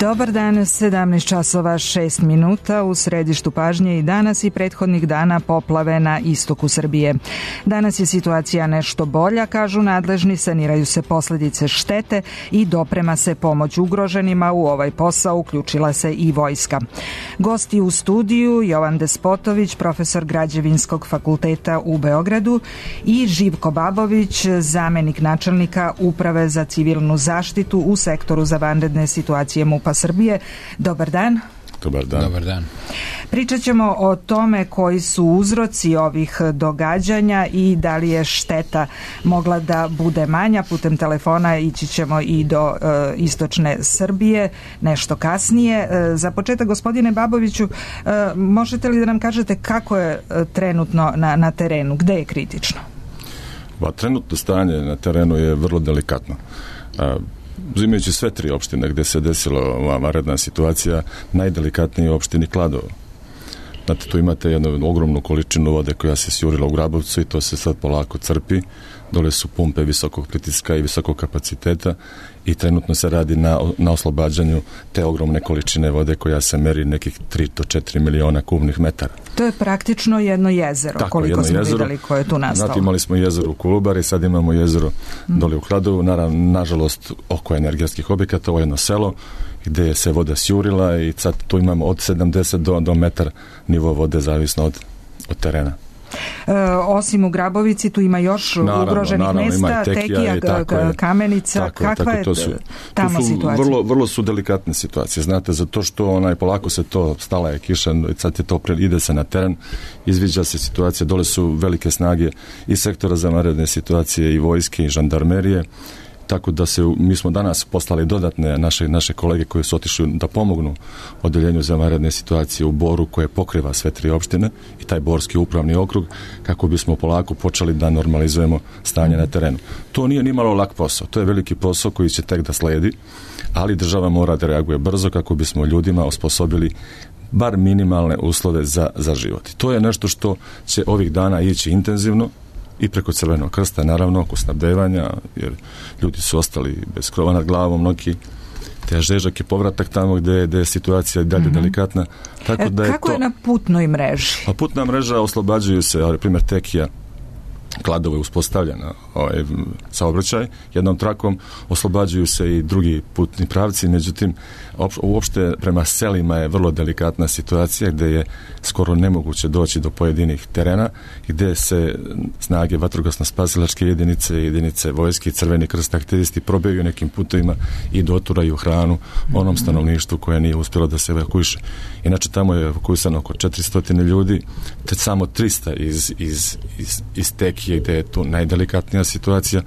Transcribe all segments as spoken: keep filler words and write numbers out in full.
Dobar dan, sedamnaest časova šest minuta, u središtu pažnje i danas i prethodnih dana poplave na istoku Srbije. Danas je situacija nešto bolja, kažu nadležni, saniraju se posljedice štete i doprema se pomoć ugroženima. U ovaj posao uključila se i vojska. Gosti u studiju Jovan Despotović, profesor Građevinskog fakulteta u Beogradu, i Živko Babović, zamenik načelnika Uprave za civilnu zaštitu u sektoru za vanredne situacije MUP-a Srbije. Dobar dan. Dobar dan. Dobar dan. Pričat ćemo o tome koji su uzroci ovih događanja i da li je šteta mogla da bude manja. Putem telefona ići ćemo i do e, istočne Srbije nešto kasnije. E, za početak, gospodine Baboviću, e, možete li da nam kažete kako je e, trenutno na, na terenu? Gde je kritično? Ba, trenutno stanje na terenu je vrlo delikatno. A, uzimajući sve tri opštine gdje se desila ova vanredna situacija, najdelikatnije je u opštini Kladovo. Znate, tu imate jednu ogromnu količinu vode koja se sjurila u Grabovcu i to se sad polako crpi. Dole su pumpe visokog pritiska i visokog kapaciteta i trenutno se radi na, na oslobađanju te ogromne količine vode koja se meri nekih tri do četiri miliona kubnih metara. To je praktično jedno jezero, tako, koliko jedno smo jezero, vidjeli koje je tu nastalo. Znate, imali smo jezero u Kolubari, sad imamo jezero mm. dole u Kladovu. Naravno, nažalost, oko energetskih objekata, ovo je jedno selo gdje se voda sjurila i sad tu imamo od sedamdeset do, do metar nivo vode, zavisno od, od terena. E, osim u Grabovici tu ima još naravno, naravno, ugroženih mesta, Tekija, Tekija Kamenica. Tako, kakva tako, je to su, tamo to su situacija? Vrlo, vrlo su delikatne situacije, znate, zato što onaj, polako se to, stala je kiša, sad je to, ide se na teren, izviđa se situacija, dole su velike snage i sektora za vanredne situacije i vojske i žandarmerije. Tako da se, mi smo danas poslali dodatne naše, naše kolege koji su otišli da pomognu odeljenju za vanredne situacije u Boru koje pokriva sve tri opštine i taj Borski upravni okrug, kako bismo polako počeli da normalizujemo stanje na terenu. To nije nimalo lak posao, to je veliki posao koji će tek da sledi, ali država mora da reaguje brzo kako bismo ljudima osposobili bar minimalne uslove za, za život. To je nešto što će ovih dana ići intenzivno i preko Crvenog krsta, naravno, oko snabdevanja, jer ljudi su ostali bez krova nad glavom, mnogi težak je povratak tamo gdje, gdje je situacija dalje mm-hmm. delikatna. Tako da je Kako to, je na putnoj mreži? A putna mreža oslobađuju se, na primjer Tekija, Kladovo je uspostavljena ovaj, saobraćaj jednom trakom, oslobađuju se i drugi putni pravci, međutim uopšte prema selima je vrlo delikatna situacija gdje je skoro nemoguće doći do pojedinih terena, gdje se snage vatrogasno-spasilačke jedinice, jedinice vojske i Crveni krst aktivisti probijaju nekim putovima i doturaju hranu onom stanovništvu koje nije uspjelo da se evakuiše. Inače tamo je evakuisano oko četiristo ljudi, te samo trista iz, iz, iz, iz Tekije gdje je tu najdelikatnija situacija,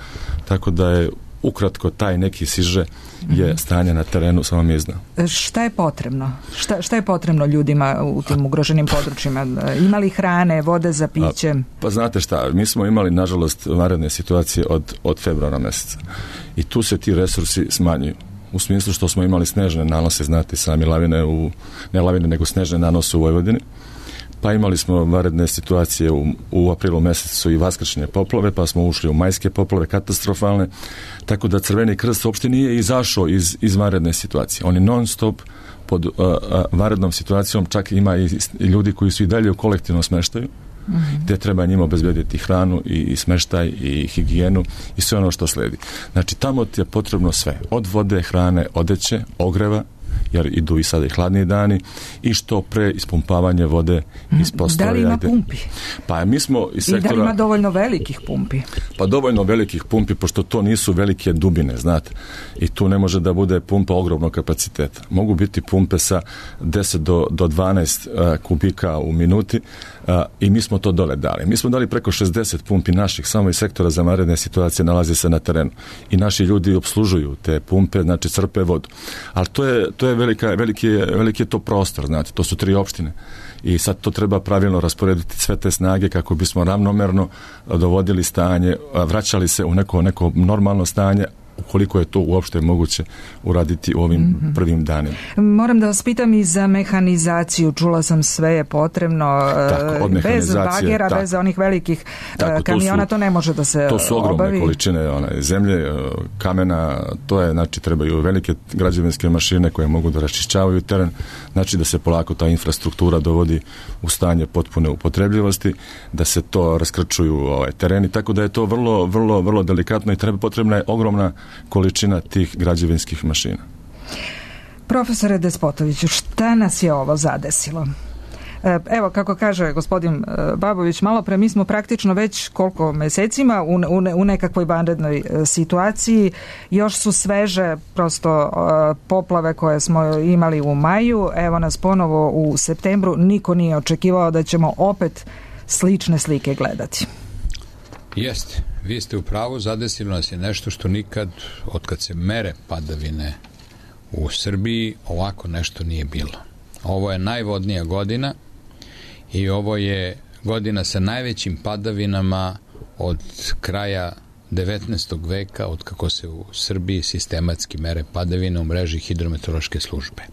tako da je ukratko taj neki siže je stanje na terenu samo mi zna. Šta je potrebno? Šta, šta je potrebno ljudima u tim ugroženim područjima? Ima li hrane, vode za piće? A, pa znate šta, mi smo imali nažalost vanredne situacije od, od februara mjeseca i tu se ti resursi smanjuju. U smislu što smo imali snežne nanose, znate sami lavine, u, ne lavine nego snežne nanose u Vojvodini. Pa imali smo vanredne situacije u, u aprilu mjesecu i vaskršnje poplave, pa smo ušli u majske poplave, katastrofalne, tako da Crveni krst uopšte nije izašao iz, iz vanredne situacije. On je non stop pod uh, uh, vanrednom situacijom, čak ima i, i ljudi koji su i dalje u kolektivnom smeštaju, mm-hmm. gdje treba njima obezbediti hranu i, i smeštaj i higijenu i sve ono što sledi. Znači tamo ti je potrebno sve, od vode, hrane, odeće, ogreva, jer idu i sada i hladni dani i što pre ispumpavanje vode iz prostora. Da li ima pumpi? Pa mi smo iz sektora... I da li ima dovoljno velikih pumpi? Pa dovoljno velikih pumpi, pošto to nisu velike dubine, znate. I tu ne može da bude pumpa ogromnog kapaciteta. Mogu biti pumpe sa deset do dvanaest uh, kubika u minuti uh, i mi smo to dole dali. Mi smo dali preko šezdeset pumpi naših, samo iz sektora za vanredne situacije nalazi se na terenu. I naši ljudi obslužuju te pumpe, znači crpe vodu. Ali to je, to je velika, veliki, veliki je to prostor, znate, to su tri opštine. I sad to treba pravilno rasporediti sve te snage kako bismo ravnomerno dovodili stanje, vraćali se u neko, neko normalno stanje, ukoliko je to uopšte moguće uraditi u ovim mm-hmm. prvim danima. Moram da vas pitam i za mehanizaciju. Čula sam sve je potrebno. Tako, bez bagera, tako, bez onih velikih tako, kamiona, to, su, to ne može da se obavi. To su ogromne obavi. količine one, zemlje, kamena, to je, znači, trebaju velike građevinske mašine koje mogu da raščišćavaju teren, znači da se polako ta infrastruktura dovodi u stanje potpune upotrebljivosti, da se to raskrčuju ovaj, tereni, tako da je to vrlo, vrlo, vrlo delikatno i treba, potrebna je ogromna količina tih građevinskih mašina. Profesore Despotoviću, šta nas je ovo zadesilo? Evo, kako kaže gospodin Babović, malo pre, mi smo praktično već koliko mesecima u, u, u nekakvoj vanrednoj situaciji, još su sveže prosto poplave koje smo imali u maju, evo nas ponovo u septembru, niko nije očekivao da ćemo opet slične slike gledati. Jeste, vi ste u pravu, zadesilo nas je nešto što nikad, od kad se mere padavine u Srbiji, ovako nešto nije bilo. Ovo je najvodnija godina i ovo je godina sa najvećim padavinama od kraja devetnaestog veka, od kako se u Srbiji sistematski mere padavine u mreži hidrometeorološke službe.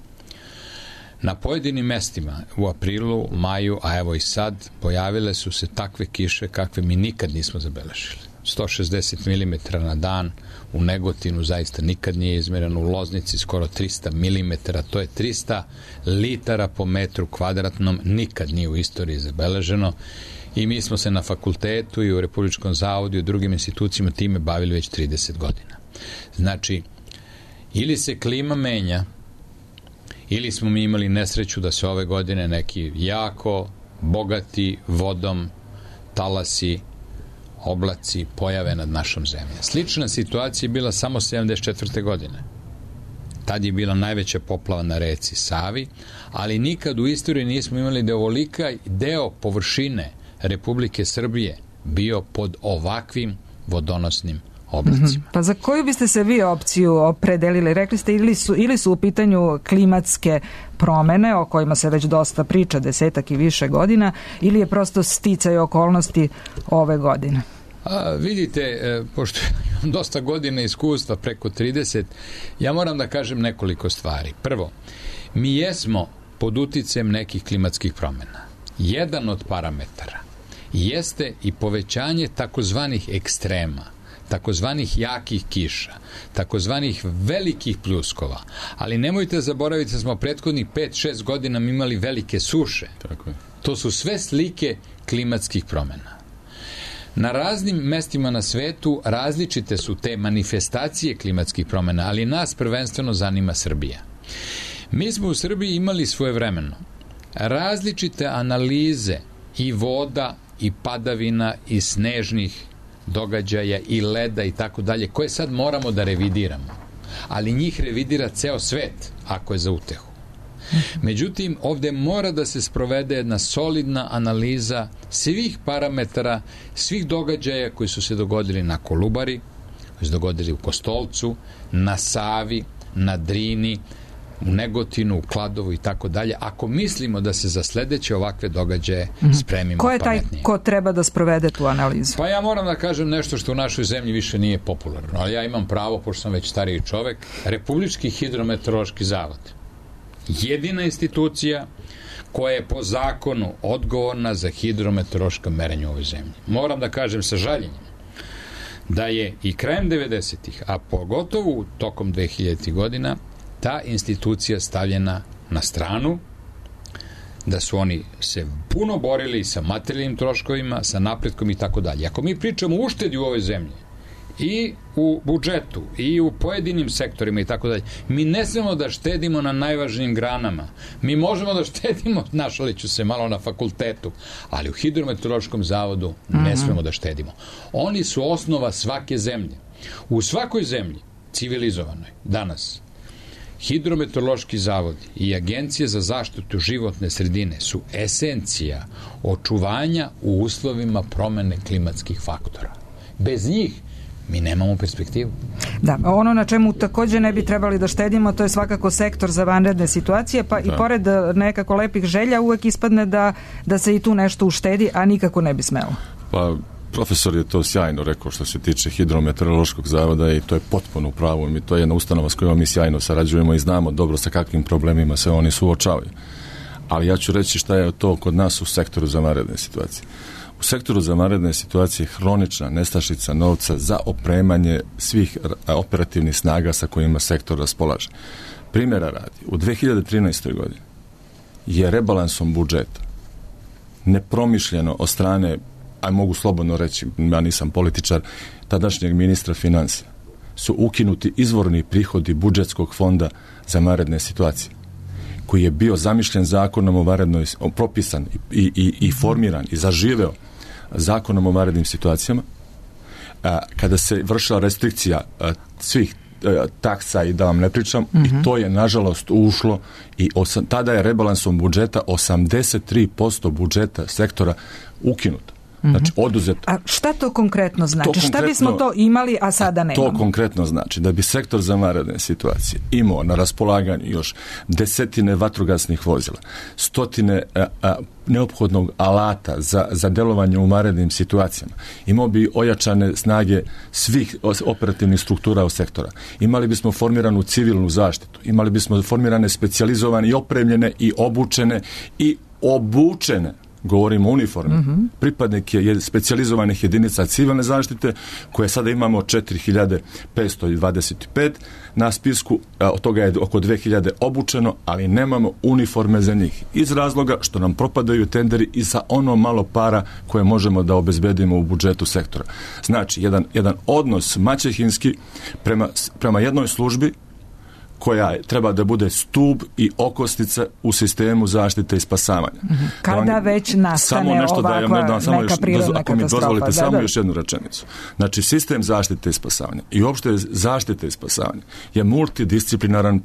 Na pojedinim mestima u aprilu, maju, a evo i sad, pojavile su se takve kiše kakve mi nikad nismo zabeležili. sto šezdeset milimetara na dan, u Negotinu zaista nikad nije izmereno, u Loznici skoro trista milimetara, to je trista litara po metru kvadratnom, nikad nije u istoriji zabeleženo i mi smo se na fakultetu i u Republičkom zavodu i u drugim institucijama time bavili već trideset godina. Znači, ili se klima menja, ili smo mi imali nesreću da se ove godine neki jako bogati vodom talasi, oblaci pojave nad našom zemljom. Slična situacija je bila samo sedamdeset četvrte godine. Tad je bila najveća poplava na reci Savi, ali nikad u istoriji nismo imali da ovolika deo površine Republike Srbije bio pod ovakvim vodonosnim oblacima. Mm-hmm. Pa za koju biste se vi opciju opredelili? Rekli ste ili su, ili su u pitanju klimatske promene o kojima se već dosta priča desetak i više godina, ili je prosto sticaj okolnosti ove godine? A, vidite, e, pošto imam dosta godina iskustva, preko trideset, ja moram da kažem nekoliko stvari. Prvo, mi jesmo pod uticajem nekih klimatskih promena. Jedan od parametara jeste i povećanje takozvanih ekstrema, takozvanih jakih kiša, takozvanih velikih pljuskova, ali nemojte zaboraviti da smo prethodnih pet šest godina imali velike suše. Tako je. To su sve slike klimatskih promena. Na raznim mestima na svetu različite su te manifestacije klimatskih promena, ali nas prvenstveno zanima Srbija. Mi smo u Srbiji imali svojevremeno različite analize i voda i padavina i snežnih događaja i leda i tako dalje, koje sad moramo da revidiramo. Ali njih revidira ceo svet, ako je za utehu. Međutim, ovde mora da se sprovede jedna solidna analiza svih parametara, svih događaja koji su se dogodili na Kolubari, koji su dogodili u Kostolcu, na Savi, na Drini, u Negotinu, u Kladovu i tako dalje, ako mislimo da se za sledeće ovakve događaje spremimo pametnije. Ko je taj ko treba da sprovede tu analizu? Pa ja moram da kažem nešto što u našoj zemlji više nije popularno, ali ja imam pravo, pošto sam već stariji čovek, Republički hidrometeorološki zavod. Jedina institucija koja je po zakonu odgovorna za hidrometeorološka merenja u ovoj zemlji. Moram da kažem sa žaljenjem da je i krajem devedesetih, a pogotovo tokom dvehiljaditih godina, ta institucija stavljena na stranu, da su oni se puno borili sa materijalnim troškovima, sa napretkom i tako dalje. Ako mi pričamo o uštedi u ovoj zemlji, i u budžetu, i u pojedinim sektorima i tako dalje, mi ne smemo da štedimo na najvažnijim granama. Mi možemo da štedimo, našali ću se malo na fakultetu, ali u hidrometeorološkom zavodu ne smemo da štedimo. Oni su osnova svake zemlje. U svakoj zemlji, civilizovanoj, danas, hidrometeorološki zavodi i Agencija za zaštitu životne sredine su esencija očuvanja u uslovima promene klimatskih faktora. Bez njih mi nemamo perspektivu. Da, ono na čemu takođe ne bi trebali da štedimo, to je svakako sektor za vanredne situacije, pa da. I pored nekako lepih želja uvek ispadne da, da se i tu nešto uštedi, a nikako ne bi smelo. Pa Profesor je to sjajno rekao što se tiče Hidrometeorološkog zavoda i to je potpuno u pravu. Mi, to je jedna ustanova s kojom mi sjajno sarađujemo i znamo dobro sa kakvim problemima se oni suočavaju. Ali ja ću reći šta je to kod nas u sektoru za vanredne situacije. U sektoru za vanredne situacije hronična nestašica novca za opremanje svih operativnih snaga sa kojima sektor raspolaže. Primjera radi, u dve hiljade trinaestoj godini je rebalansom budžeta nepromišljeno od strane, a mogu slobodno reći, ja nisam političar, tadašnjeg ministra financija, su ukinuti izvorni prihodi budžetskog fonda za vanredne situacije, koji je bio zamišljen zakonom o vanrednoj, propisan i, i, i formiran i zaživeo zakonom o vanrednim situacijama, a, kada se vršila restrikcija a, svih a, taksa i da vam ne pričam, mm-hmm. i to je nažalost ušlo i osam, tada je rebalansom budžeta osamdeset tri posto budžeta sektora ukinuto. Znači, oduzeto. A šta to konkretno znači? To konkretno, šta bismo to imali, a sada nemamo? To konkretno znači da bi sektor za vanredne situacije imao na raspolaganju još desetine vatrogasnih vozila, stotine a, a, neophodnog alata za, za delovanje u vanrednim situacijama. Imao bi ojačane snage svih operativnih struktura u sektora. Imali bismo formiranu civilnu zaštitu. Imali bismo formirane specijalizovane i opremljene i obučene i obučene, govorimo o uniformi, mm-hmm. pripadnike je specijalizovanih jedinica civilne zaštite, koje sada imamo četiri hiljade petsto dvadeset pet na spisku, od toga je oko dve hiljade obučeno, ali nemamo uniforme za njih. Iz razloga što nam propadaju tenderi i za ono malo para koje možemo da obezbedimo u budžetu sektora. Znači, jedan, jedan odnos maćehinski prema, prema jednoj službi koja treba da bude stub i okosnica u sistemu zaštite i spasavanja. Mm-hmm. Kada da već nastane nešto ovakva da, da, samo neka još, prirodna ako mi katastrofa. dozvolite da, samo da. još jednu rečenicu. Znači, sistem zaštite i spasavanja i uopšte zaštite i spasavanja je multidisciplinaran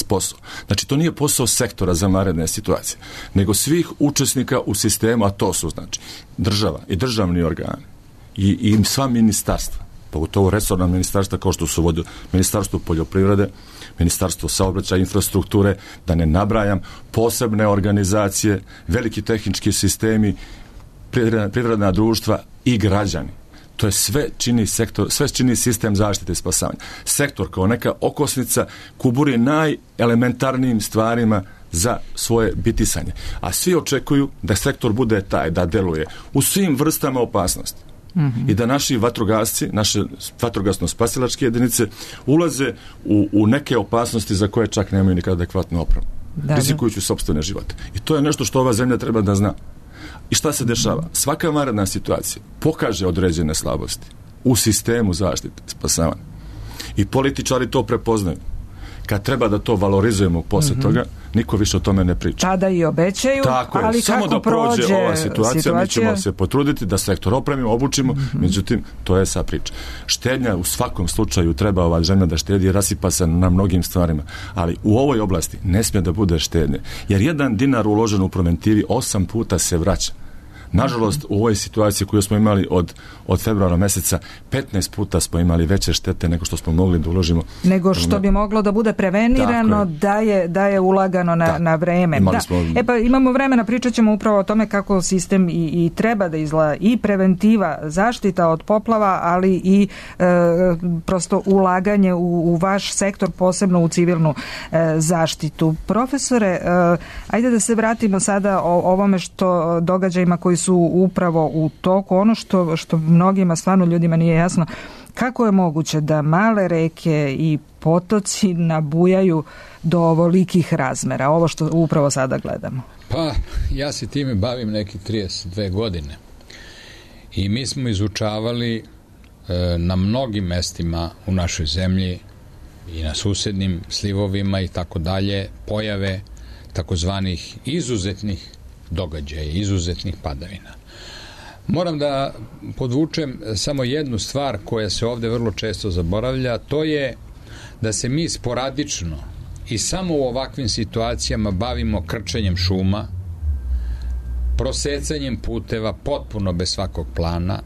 posao. Znači, to nije posao sektora za vanredne situacije, nego svih učesnika u sistemu, a to su, znači, država i državni organi i, i sva ministarstva, pogotovo resorna ministarstva kao što su vodio Ministarstvo poljoprivrede, Ministarstvo saobraćaja, infrastrukture, da ne nabrajam, posebne organizacije, veliki tehnički sistemi, privredna, privredna društva i građani. To je sve čini sektor, sve čini sistem zaštite i spasavanja. Sektor kao neka okosnica kuburi najelementarnijim stvarima za svoje bitisanje. A svi očekuju da sektor bude taj, da deluje u svim vrstama opasnosti. Mm-hmm. I da naši vatrogasci, naše vatrogasno-spasilačke jedinice ulaze u, u neke opasnosti za koje čak nemaju nikada adekvatnu opremu. Rizikujući sopstvene živote. I to je nešto što ova zemlja treba da zna. I šta se dešava? Svaka vanredna situacija pokaže određene slabosti u sistemu zaštite, spasavanja. I političari to prepoznaju. Kad treba da to valorizujemo posle mm-hmm. toga, niko više o tome ne priča. Tada i obećaju, tako je, ali samo kako da prođe prođe ova situacija, situacija, mi ćemo se potruditi da sektor opremimo, obučimo, mm-hmm. međutim, to je sa priča. Štednja u svakom slučaju treba ova zemlja da štedi, rasipa se na mnogim stvarima, ali u ovoj oblasti ne smije da bude štednje, jer jedan dinar uložen u preventivi osam puta se vraća. Nažalost, u ovoj situaciji koju smo imali od, od februara meseca, petnaest puta smo imali veće štete nego što smo mogli da uložimo. Nego što bi moglo da bude prevenirano je. Da, je, da je ulagano na, na vreme. Da. Smo... E pa imamo vremena, pričat ćemo upravo o tome kako sistem i, i treba da izgleda i preventiva, zaštita od poplava, ali i e, prosto ulaganje u, u vaš sektor, posebno u civilnu e, zaštitu. Profesore, e, ajde da se vratimo sada o ovome što događajima koji su upravo u toku. Ono što, što mnogima, stvarno ljudima nije jasno, kako je moguće da male reke i potoci nabujaju do ovolikih razmera, ovo što upravo sada gledamo? Pa, ja se time bavim neki trideset dve godine i mi smo izučavali e, na mnogim mestima u našoj zemlji i na susednim slivovima i tako dalje pojave takozvanih izuzetnih događaja, izuzetnih padavina. Moram da podvučem samo jednu stvar koja se ovde vrlo često zaboravlja, to je da se mi sporadično i samo u ovakvim situacijama bavimo krčenjem šuma, prosecanjem puteva potpuno bez svakog plana,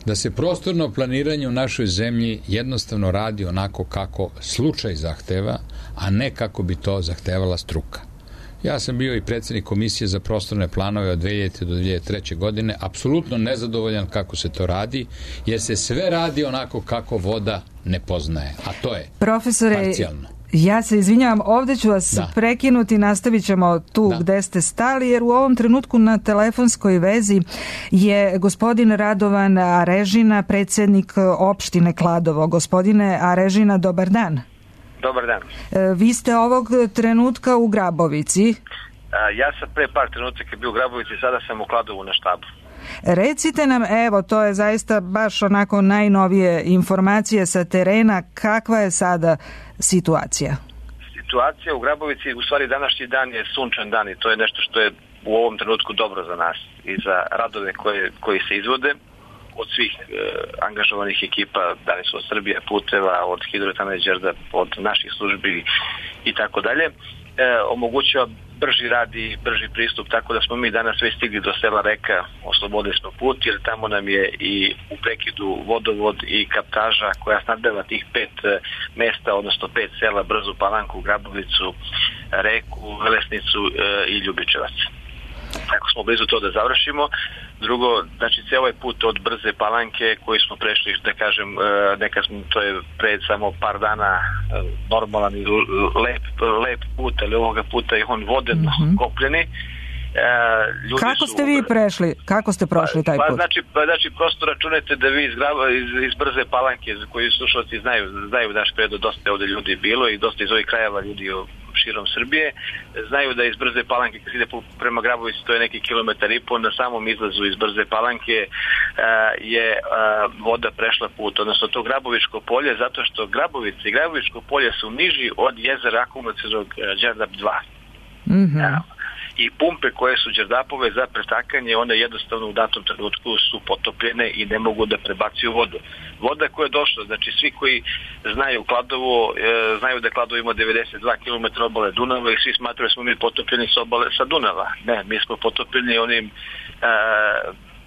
da se prostorno planiranje u našoj zemlji jednostavno radi onako kako slučaj zahteva, a ne kako bi to zahtevala struka. Ja sam bio i predsjednik komisije za prostorne planove od dve hiljade do dve hiljade treće. godine, apsolutno nezadovoljan kako se to radi, jer se sve radi onako kako voda ne poznaje, a to je Profesore, parcijalno. Ja se izvinjavam, ovdje ću vas da. prekinuti, nastavit ćemo tu da. gde ste stali, jer u ovom trenutku na telefonskoj vezi je gospodin Radovan Arežina, predsjednik opštine Kladovo. Gospodine Arežina, dobar dan. Dobar dan. Vi ste ovog trenutka u Grabovici. Ja sam pre par trenutaka bio u Grabovici, sada sam u Kladovu na štabu. Recite nam, evo, to je zaista baš onako najnovije informacije sa terena, kakva je sada situacija? Situacija u Grabovici, u stvari današnji dan je sunčan dan i to je nešto što je u ovom trenutku dobro za nas i za radove koje, koji se izvode od svih e, angažovanih ekipa, da li su od Srbije puteva, od Hidroelektrane Đerdap, od naših službi i tako dalje. Omogućava brži rad i brži pristup, tako da smo mi danas sve stigli do sela Reka, oslobodili smo put, jer tamo nam je i u prekidu vodovod i kaptaža koja snabdeva tih pet mesta, odnosno pet sela, Brzu Palanku, Grabovicu, Reku, Velesnicu i Ljubičevac. Tako smo blizu to da završimo. Drugo, znači cijel ovaj put od Brze Palanke koji smo prešli, da kažem, neka smo, to je pred samo par dana normalan i lep, lep put, ali ovoga puta je on voden, mm-hmm. kopljeni. Ljudi Kako ste su, vi prešli? Kako ste prošli taj put? Pa, znači, pa, znači, prosto računajte da vi iz, iz, iz Brze Palanke, koji slušalci znaju, znaju naš predo, dosta je ovdje ljudi bilo i dosta iz ovih krajeva ljudi širom Srbije, znaju da iz Brze Palanke, kad se ide prema Grabovici, to je neki kilometar i pol, na samom izlazu iz Brze Palanke je voda prešla put, odnosno to Grabovičko polje, zato što Grabovice i Grabovičko polje su niži od jezera akumulacionog Đerdap dva. Mhm. Ja. I pumpe koje su Đerdapove za pretakanje, one jednostavno u datom trenutku su potopljene i ne mogu da prebacuju vodu. Voda koja je došla, znači svi koji znaju Kladovo, e, znaju da Kladovo ima devedeset dva kilometra obale Dunava i svi smatraju da smo mi potopljeni s obale sa Dunava. Ne, mi smo potopljeni onim e,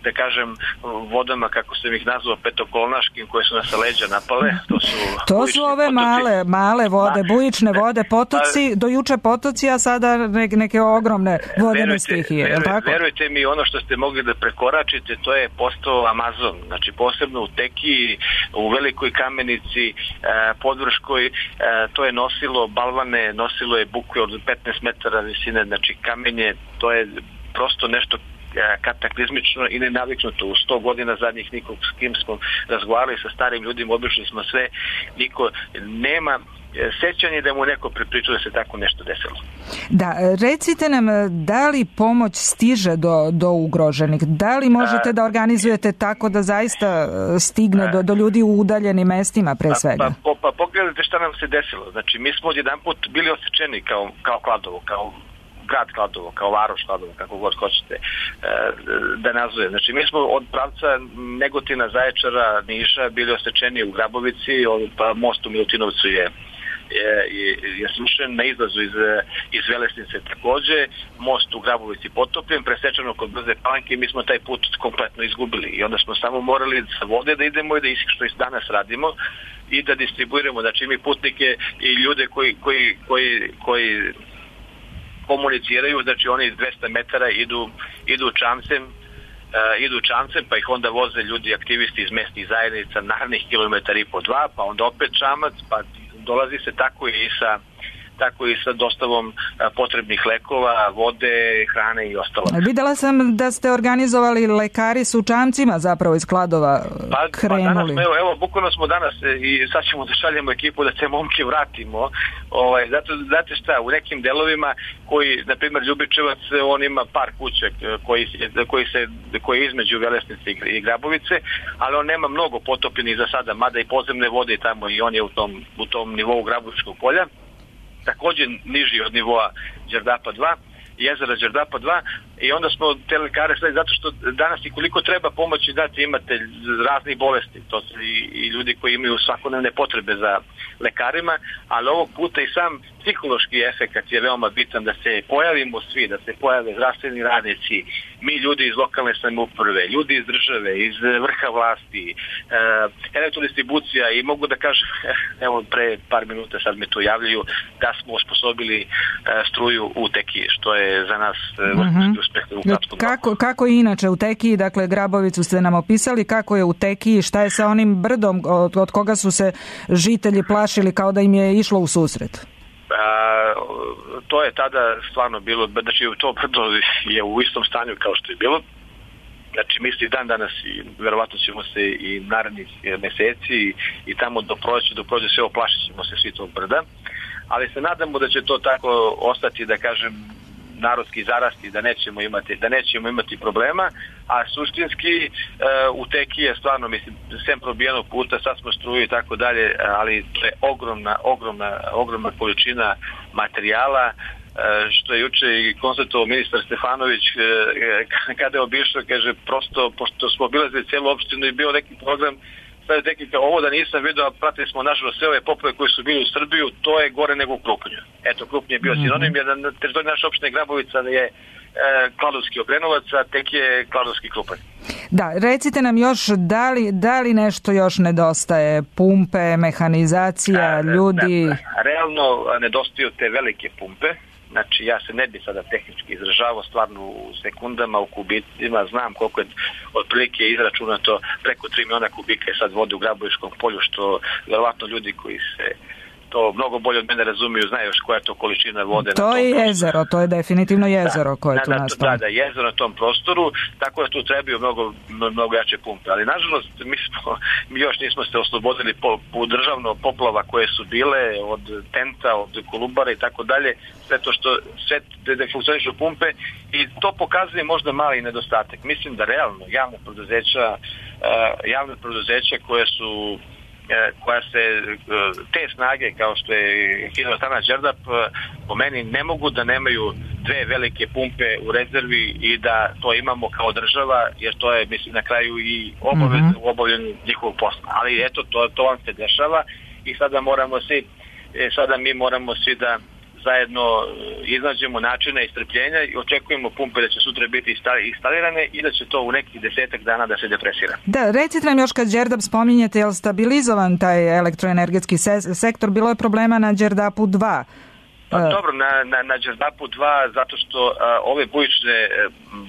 da kažem, vodama, kako sam ih nazvao, petokolnaškim, koje su nas sa leđa napale. To su, to su ove potoci. male, male vode, da, bujične vode, potoci, do juče potoci, a sada neke, neke ogromne vodene stihije. Verujte, tako? verujte mi, ono što ste mogli da prekoračite, to je postao Amazon. Znači, posebno u Teki, u Velikoj Kamenici, Podvrškoj, to je nosilo balvane, nosilo je buke od petnaest metara visine, znači kamenje, to je prosto nešto kataklizmično i nenaviknuto. U sto godina zadnjih nikog s kim smo razgovarali sa starim ljudima, obišli smo sve, niko nema sećanje da mu neko prepričao da se tako nešto desilo. Da, recite nam, da li pomoć stiže do, do ugroženih? Da li možete a, da organizujete tako da zaista stigne a, do, do ljudi u udaljenim mestima pre svega? Pa, pa, pa pogledajte šta nam se desilo. Znači, mi smo odjedan put bili osjećeni kao, kao Kladovo, kao grad Kladovo, kao varoš Kladovo, kako god hoćete e, da nazove. Znači, mi smo od pravca Negotina, Zaječara, Niša bili osečeni u Grabovici, pa most u Milutinovcu je je, je, je slušen, na izlazu iz, iz Velesnice takođe, most u Grabovici potopljen, presečeno kod Brze Palanke i mi smo taj put kompletno izgubili i onda smo samo morali sa vode da idemo i da što i danas radimo i da distribuiramo, znači mi putnike i ljude koji, koji, koji, koji komuniciraju, znači oni dvesta metara idu, idu čamcem, uh, idu čamcem, pa ih onda voze ljudi, aktivisti iz mestnih zajednica, narednih kilometara i po dva, pa onda opet čamac, pa dolazi se tako i sa tako i sa dostavom a, potrebnih lekova, vode, hrane i ostalo. Videla sam da ste organizovali, lekari su čamcima zapravo iz Kladova pa, krenuli. Pa danas, evo, evo, bukvalno smo danas i sad ćemo da šaljemo ekipu da te momke vratimo. Ovaj, zato, znate šta, u nekim delovima koji, na primjer, Ljubičevac, on ima par kuća koji, koji, se, koji je između Velesnice i Grabovice, ali on nema mnogo potopljenih za sada, mada i podzemne vode i tamo i on je u tom, u tom nivou Grabovičkog polja. Također niži od nivoa Đerdapa dva, jezera Đerdapa dva, i onda smo te lekare sve, zato što danas i koliko treba pomoći, znate, imate raznih bolesti, to su i, i ljudi koji imaju svakodnevne potrebe za lekarima, ali ovog puta i sam psihološki efekt je veoma bitan, da se pojavimo svi, da se pojave zdravstveni radnici, mi ljudi iz lokalne samouprave, ljudi iz države, iz vrha vlasti, e, elektrodistribucija, i mogu da kažem, evo pre par minuta sad me to javljaju, da smo osposobili e, struju u Tekiji, što je za nas vrhunski uspeh u kratkom roku. Kako, kako je inače u Tekiji, dakle Grabovicu ste nam opisali, kako je u Tekiji, šta je sa onim brdom od, od koga su se žitelji plašili kao da im je išlo u susret? A, to je tada stvarno bilo, znači to brdo je u istom stanju kao što je bilo, znači misli dan danas i verovatno ćemo se i narednih meseci i, i tamo do prođe, do prođe sve oplašit ćemo se svi tog brda, ali se nadamo da će to tako ostati, da kažem, narodski zarasti, da nećemo imati da nećemo imati problema, a suštinski e, u Tekiji je stvarno, mislim, sem probijenog puta, sad smo struju i tako dalje, ali to je ogromna, ogromna, ogromna količina materijala, e, što je juče i konstatovao ministar Stefanović e, kada je obišao, kaže, prosto, pošto smo obilazili cijelu opštinu i bio neki program, sad je tehnika, ovo da nisam vidio, pratili smo nažalost sve ove poplave koje su bili u Srbiju, to je gore nego u Krupnju. Eto, Krupnje je bio mm-hmm. sinonim, jer na teritoriji naše opštine Grabovica je e, Kladovski Obrenovac, a tek je Kladovski Krupanj. Da, recite nam još, da li, da li nešto još nedostaje? Pumpe, mehanizacija, a, ljudi? Da, realno nedostaju te velike pumpe. Znači, ja se ne bi sada tehnički izražavao, stvarno u sekundama, u kubicima, znam koliko je otprilike izračunato, preko tri miliona kubika je sad vode u Grabovičkom polju, što verovatno ljudi koji se to mnogo bolje od mene razumiju, znaju još koja je to količina vode. To na tom je prostoru. Jezero, to je definitivno jezero da, koje je tu nastalo. Da, da, jezero na tom prostoru, tako da tu trebaju mnogo, mnogo jače pumpe. Ali nažalost, mi, smo, mi još nismo se oslobodili po, po državno poplava koje su bile, od Tenta, od Kolubara i tako dalje, sve to što sve da funkcionišu pumpe, i to pokazuje možda mali nedostatak. Mislim da realno javne preduzeća, uh, javne preduzeća koje su koja se te snage kao što je Hidroelektrana Đerdap, po meni ne mogu da nemaju dve velike pumpe u rezervi i da to imamo kao država, jer to je, mislim, na kraju i obavez mm-hmm. u obavljanju njihovog posla. Ali eto, to, to vam se dešava i sada moramo svi, sada mi moramo svi da zajedno iznađemo načine istrpljenja i očekujemo pumpe da će sutra biti instalirane i da će to u nekih desetak dana da se depresira. Da, recite nam još, kad Đerdap spominjete, je li stabilizovan taj elektroenergetski se- sektor? Bilo je problema na Đerdapu dva. Pa, dobro, na, na, na Đerdapu dva, zato što a, ove bujične,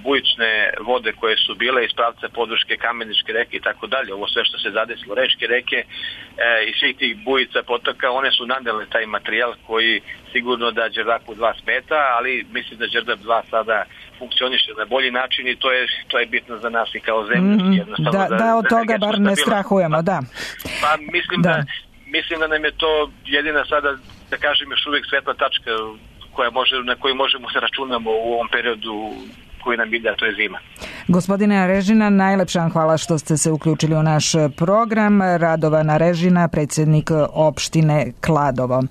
bujične vode koje su bile iz pravca Podvrške, Kameničke reke i tako dalje, ovo sve što se zadesilo, Rečke reke e, i svih tih bujica potoka, one su nadele taj materijal koji sigurno da Đerdapu dva smeta, ali mislim da Đerdap dva sada funkcioniše na bolji način i to je, to je bitno za nas i kao zemlju. Mm, da, da, da od da toga bar ne strahujemo, da. Pa mislim da. da mislim da nam je to jedina sada, da kažem, još uvijek svetla tačka koja može, na koju možemo se računamo u ovom periodu koji nam ide, a to je zima. Gospodine Arežina, najlepša vam hvala što ste se uključili u naš program. Radovan Arežina, predsjednik opštine Kladovo.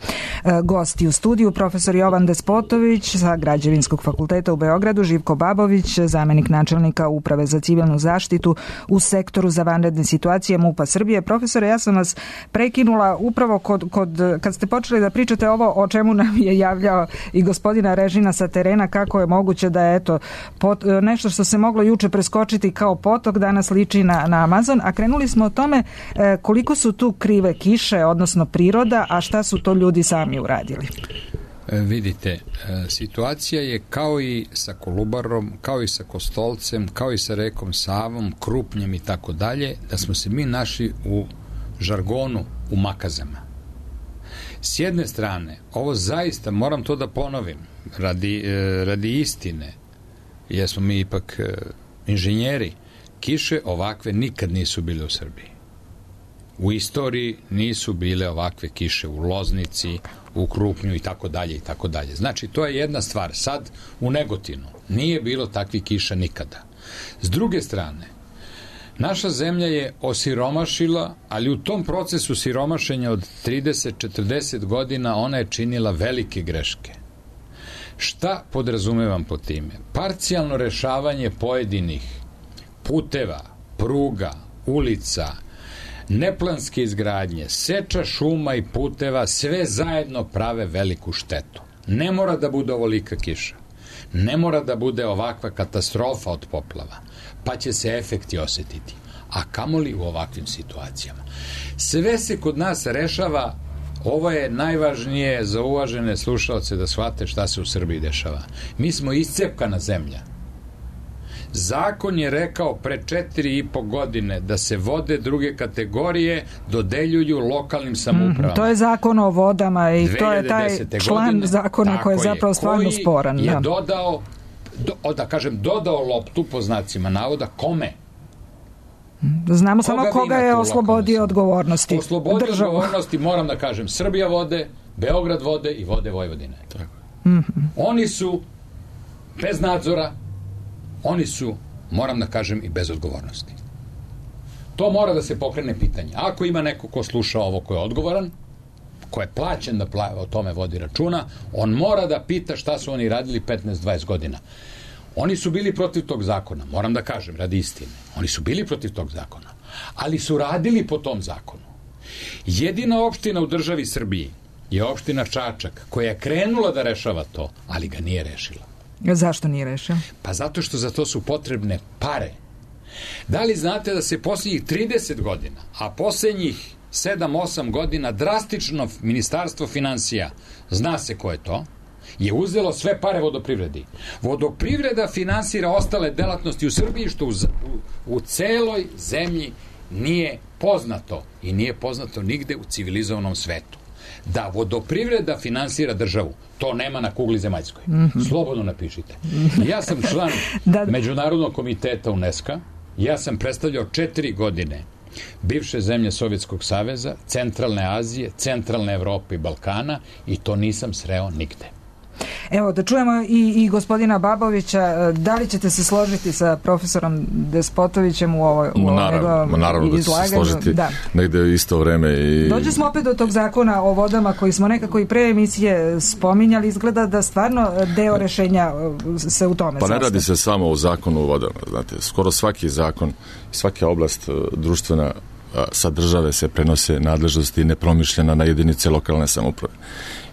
Gosti u studiju, profesor Jovan Despotović sa Građevinskog fakulteta u Beogradu, Živko Babović, zamenik načelnika Uprave za civilnu zaštitu u sektoru za vanredne situacije MUP-a Srbije. Profesore, ja sam vas prekinula upravo kod, kod, kad ste počeli da pričate ovo o čemu nam je javljao i gospodina Arežina sa terena, kako je moguće da je eto pot, nešto što se moglo juče preskočiti kao potok danas liči na, na Amazon, a krenuli smo o tome e, koliko su tu krive kiše, odnosno priroda, a šta su to ljudi sami uradili. E, vidite, e, situacija je kao i sa Kolubarom, kao i sa Kostolcem, kao i sa rekom Savom, Krupnjem i tako dalje, da smo se mi našli u žargonu u makazama. S jedne strane, ovo zaista, moram to da ponovim, radi, e, radi istine, jer smo mi ipak e, inženjeri, kiše ovakve nikad nisu bile u Srbiji. U istoriji nisu bile ovakve kiše u Loznici, u Krupnju i tako dalje i tako dalje. Znači, to je jedna stvar. Sad u Negotinu nije bilo takvih kiša nikada. S druge strane, naša zemlja je osiromašila, ali u tom procesu siromašenja od trideset do četrdeset godina ona je činila velike greške. Šta podrazumevam po time? Parcijalno rešavanje pojedinih puteva, pruga, ulica, neplanske izgradnje, seča šuma i puteva, sve zajedno prave veliku štetu. Ne mora da bude ovolika kiša. Ne mora da bude ovakva katastrofa od poplava, pa će se efekti osetiti. A kamoli u ovakvim situacijama. Sve se kod nas rešava, ovo je najvažnije za uvažene slušalce da shvate šta se u Srbiji dešava. Mi smo iscepkana zemlja. Zakon je rekao pre četiri i po godine da se vode druge kategorije dodeljuju lokalnim samoupravama. Mm, to je zakon o vodama i to je taj član godine, zakona koji je zapravo stvarno koji sporan. je da. dodao, do, da kažem, dodao loptu po znacima navoda kome? Znamo koga samo koga je oslobodio odgovornosti. Oslobodio odgovornosti, moram da kažem, Srbija vode, Beograd vode i Vode Vojvodine. Tako. Mm-hmm. Oni su bez nadzora, oni su, moram da kažem, i bez odgovornosti. To mora da se pokrene pitanje. Ako ima neko ko sluša ovo ko je odgovoran, ko je plaćen da pla- o tome vodi računa, on mora da pita šta su oni radili petnaest dvadeset godina. Oni su bili protiv tog zakona, moram da kažem, radi istine. Oni su bili protiv tog zakona, ali su radili po tom zakonu. Jedina opština u državi Srbiji je opština Čačak, koja je krenula da rešava to, ali ga nije rešila. Zašto nije rešila? Pa zato što za to su potrebne pare. Da li znate da se posljednjih trideset godina, a posljednjih sedam osam godina drastično Ministarstvo finansija, zna se ko je to, je uzelo sve pare vodoprivredi. Vodoprivreda finansira ostale delatnosti u Srbiji, što u, u, u celoj zemlji nije poznato i nije poznato nigde u civilizovanom svetu. Da vodoprivreda finansira državu, to nema na kugli zemaljskoj. Mm-hmm. Slobodno napišite. Ja sam član da... Međunarodnog komiteta UNESCO, ja sam predstavljao četiri godine bivše zemlje Sovjetskog saveza, Centralne Azije, Centralne Evrope i Balkana i to nisam sreo nigde. Evo, da čujemo i, i gospodina Babovića, da li ćete se složiti sa profesorom Despotovićem u ovoj u naravno, naravno da ću se složiti da. Negde u isto vreme. I... Dođe smo opet do tog zakona o vodama koji smo nekako i pre emisije spominjali, izgleda da stvarno deo rešenja se u tome Pa zastav. ne radi se samo o zakonu o vodama, znate, skoro svaki zakon, svaka oblast društvena sa države se prenose nadležnosti nepromišljena na jedinice lokalne samouprave.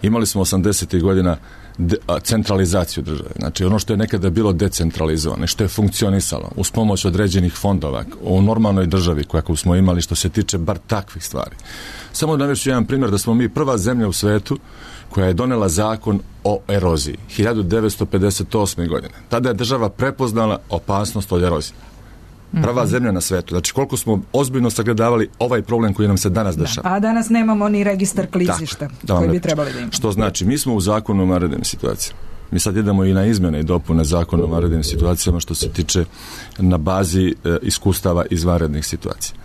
Imali smo osamdesetih godina de, a, centralizaciju države. Znači ono što je nekada bilo decentralizovano, što je funkcionisalo uz pomoć određenih fondova u normalnoj državi kakvu smo imali što se tiče bar takvih stvari. Samo da navešću jedan primjer da smo mi prva zemlja u svetu koja je donela zakon o eroziji hiljadu devetsto pedeset osme godine. Tada je država prepoznala opasnost od erozije. Prva zemlja na svetu. Znači koliko smo ozbiljno sagledavali ovaj problem koji nam se danas dešava. Da, a danas nemamo ni registar klizišta da, koji bi trebali da imamo. Što znači, mi smo u zakonu o vanrednim situacijama. Mi sad idemo i na izmjene i dopune zakona o vanrednim situacijama što se tiče na bazi e, iskustava iz vanrednih situacija.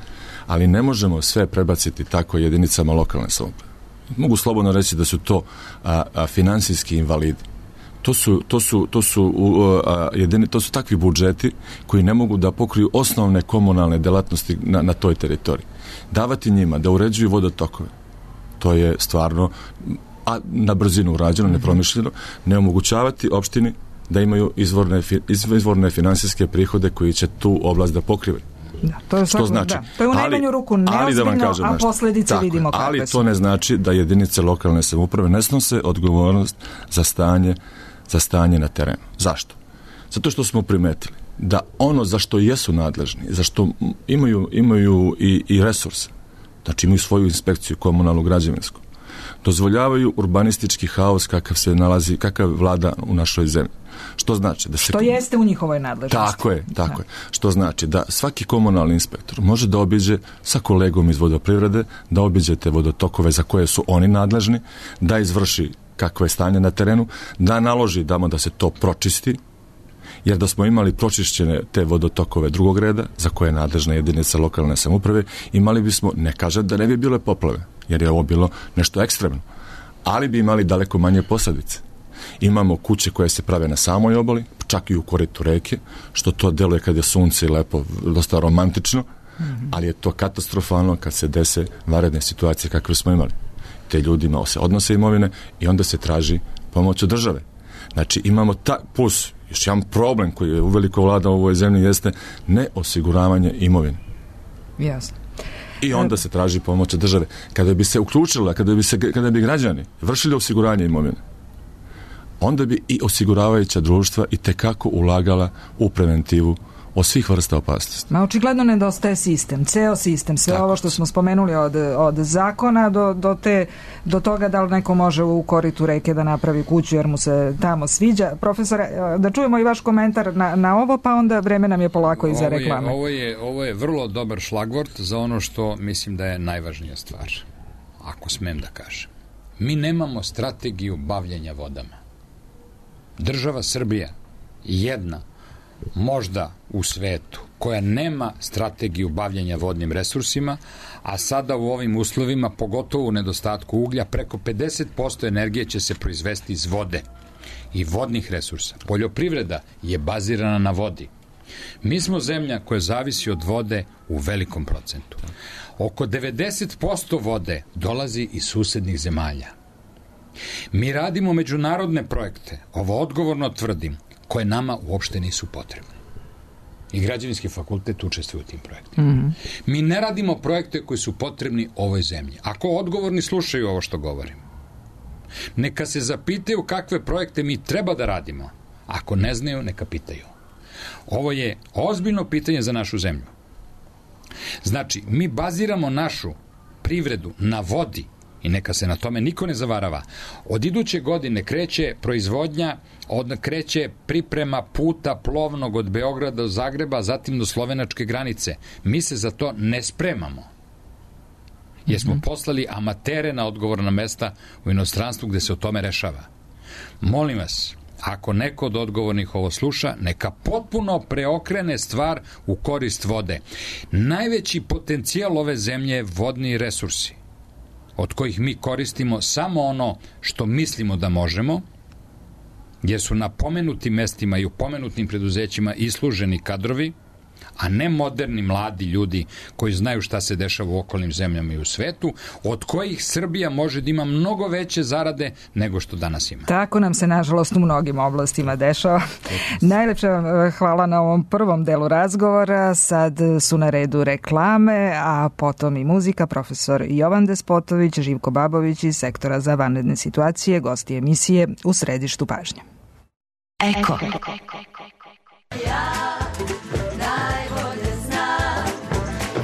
Ali ne možemo sve prebaciti tako jedinicama lokalne samouprave. Mogu slobodno reći da su to a, a, finansijski invalidi. To su, to su, to su, uh, jedini, to su takvi budžeti koji ne mogu da pokriju osnovne komunalne delatnosti na, na toj teritoriji. Davati njima da uređuju vodotokove, to je stvarno a na brzinu urađeno, nepromišljeno, ne omogućavati opštini da imaju izvorne, izvorne finansijske prihode koji će tu oblast da pokrivaju. Da, to je što znači, da. To je u najmanju ruku neozbiljno, da a posljedice tako, vidimo kakve ali su. To ne znači da jedinice lokalne samouprave ne snose odgovornost za stanje za stanje na terenu. Zašto? Zato što smo primetili da ono za što jesu nadležni, za što imaju, imaju i, i resurse, znači imaju svoju inspekciju komunalnu građevinsku, dozvoljavaju urbanistički haos kakav se nalazi, kakav vlada u našoj zemlji. Što znači da se što jeste u njihovoj nadležnosti. Tako je, tako da. je. Što znači da svaki komunalni inspektor može da obiđe sa kolegom iz vodoprivrede, da obiđe te vodotokove za koje su oni nadležni, da izvrši kakvo je stanje na terenu, da naloži damo da se to pročisti, jer da smo imali pročišćene te vodotokove drugog reda, za koje je nadležna jedinica lokalne samouprave, imali bismo, ne kažem da ne bi bile poplave, jer je ovo bilo nešto ekstremno, ali bi imali daleko manje posljedice. Imamo kuće koje se prave na samoj obali, čak i u koritu reke, što to deluje kad je sunce i lepo, dosta romantično, mm-hmm. ali je to katastrofalno kad se dese vanredne situacije kakve smo imali. Te ljudima se odnose imovine i onda se traži pomoć od države. Znači imamo ta, plus još jedan problem koji je uveliko vlada u ovoj zemlji jeste neosiguravanje imovine. Jasno. I onda se traži pomoć države. Kada bi se uključila, kada bi, se, kada bi građani vršili osiguranje imovine, onda bi i osiguravajuća društva i tekako ulagala u preventivu od svih vrsta opasnosti. Ma očigledno nedostaje sistem, ceo sistem, sve Tako. ovo što smo spomenuli od, od zakona do, do, te, do toga da li neko može u koritu reke da napravi kuću jer mu se tamo sviđa. Profesore, da čujemo i vaš komentar na, na ovo, pa onda vreme nam je polako i za reklame. Ovo je, ovo je, ovo je vrlo dobar šlagvort za ono što mislim da je najvažnija stvar, ako smem da kažem. Mi nemamo strategiju bavljenja vodama. Država Srbija jedna možda u svetu koja nema strategiju bavljenja vodnim resursima, a sada u ovim uslovima, pogotovo u nedostatku uglja, preko pedeset posto energije će se proizvesti iz vode i vodnih resursa. Poljoprivreda je bazirana na vodi. Mi smo zemlja koja zavisi od vode u velikom procentu. Oko devedeset posto vode dolazi iz susednih zemalja. Mi radimo međunarodne projekte, ovo odgovorno tvrdim, koje nama uopšte nisu potrebne. I građevinski fakultet učestvuje u tim projektima. Mm-hmm. Mi ne radimo projekte koji su potrebni ovoj zemlji. Ako odgovorni slušaju ovo što govorim, neka se zapitaju kakve projekte mi treba da radimo. Ako ne znaju, neka pitaju. Ovo je ozbiljno pitanje za našu zemlju. Znači, mi baziramo našu privredu na vodi i neka se na tome niko ne zavarava. Od iduće godine kreće proizvodnja, od kreće priprema puta plovnog od Beograda do Zagreba, zatim do slovenačke granice. Mi se za to ne spremamo. Jer smo poslali amatere na odgovorna mesta u inostranstvu gde se o tome rešava. Molim vas, ako neko od odgovornih ovo sluša, neka potpuno preokrene stvar u korist vode. Najveći potencijal ove zemlje je vodni resursi, od kojih mi koristimo samo ono što mislimo da možemo, gdje su na pomenutim mestima i u pomenutim preduzećima isluženi kadrovi, a ne moderni mladi ljudi koji znaju šta se dešava u okolnim zemljama i u svetu, od kojih Srbija može da ima mnogo veće zarade nego što danas ima. Tako nam se, nažalost, u mnogim oblastima dešava. Najlepša vam hvala na ovom prvom delu razgovora. Sad su na redu reklame, a potom i muzika. Profesor Jovan Despotović, Živko Babović iz Sektora za vanredne situacije, gosti emisije U središtu pažnje. Eko. Ja najbolje znam,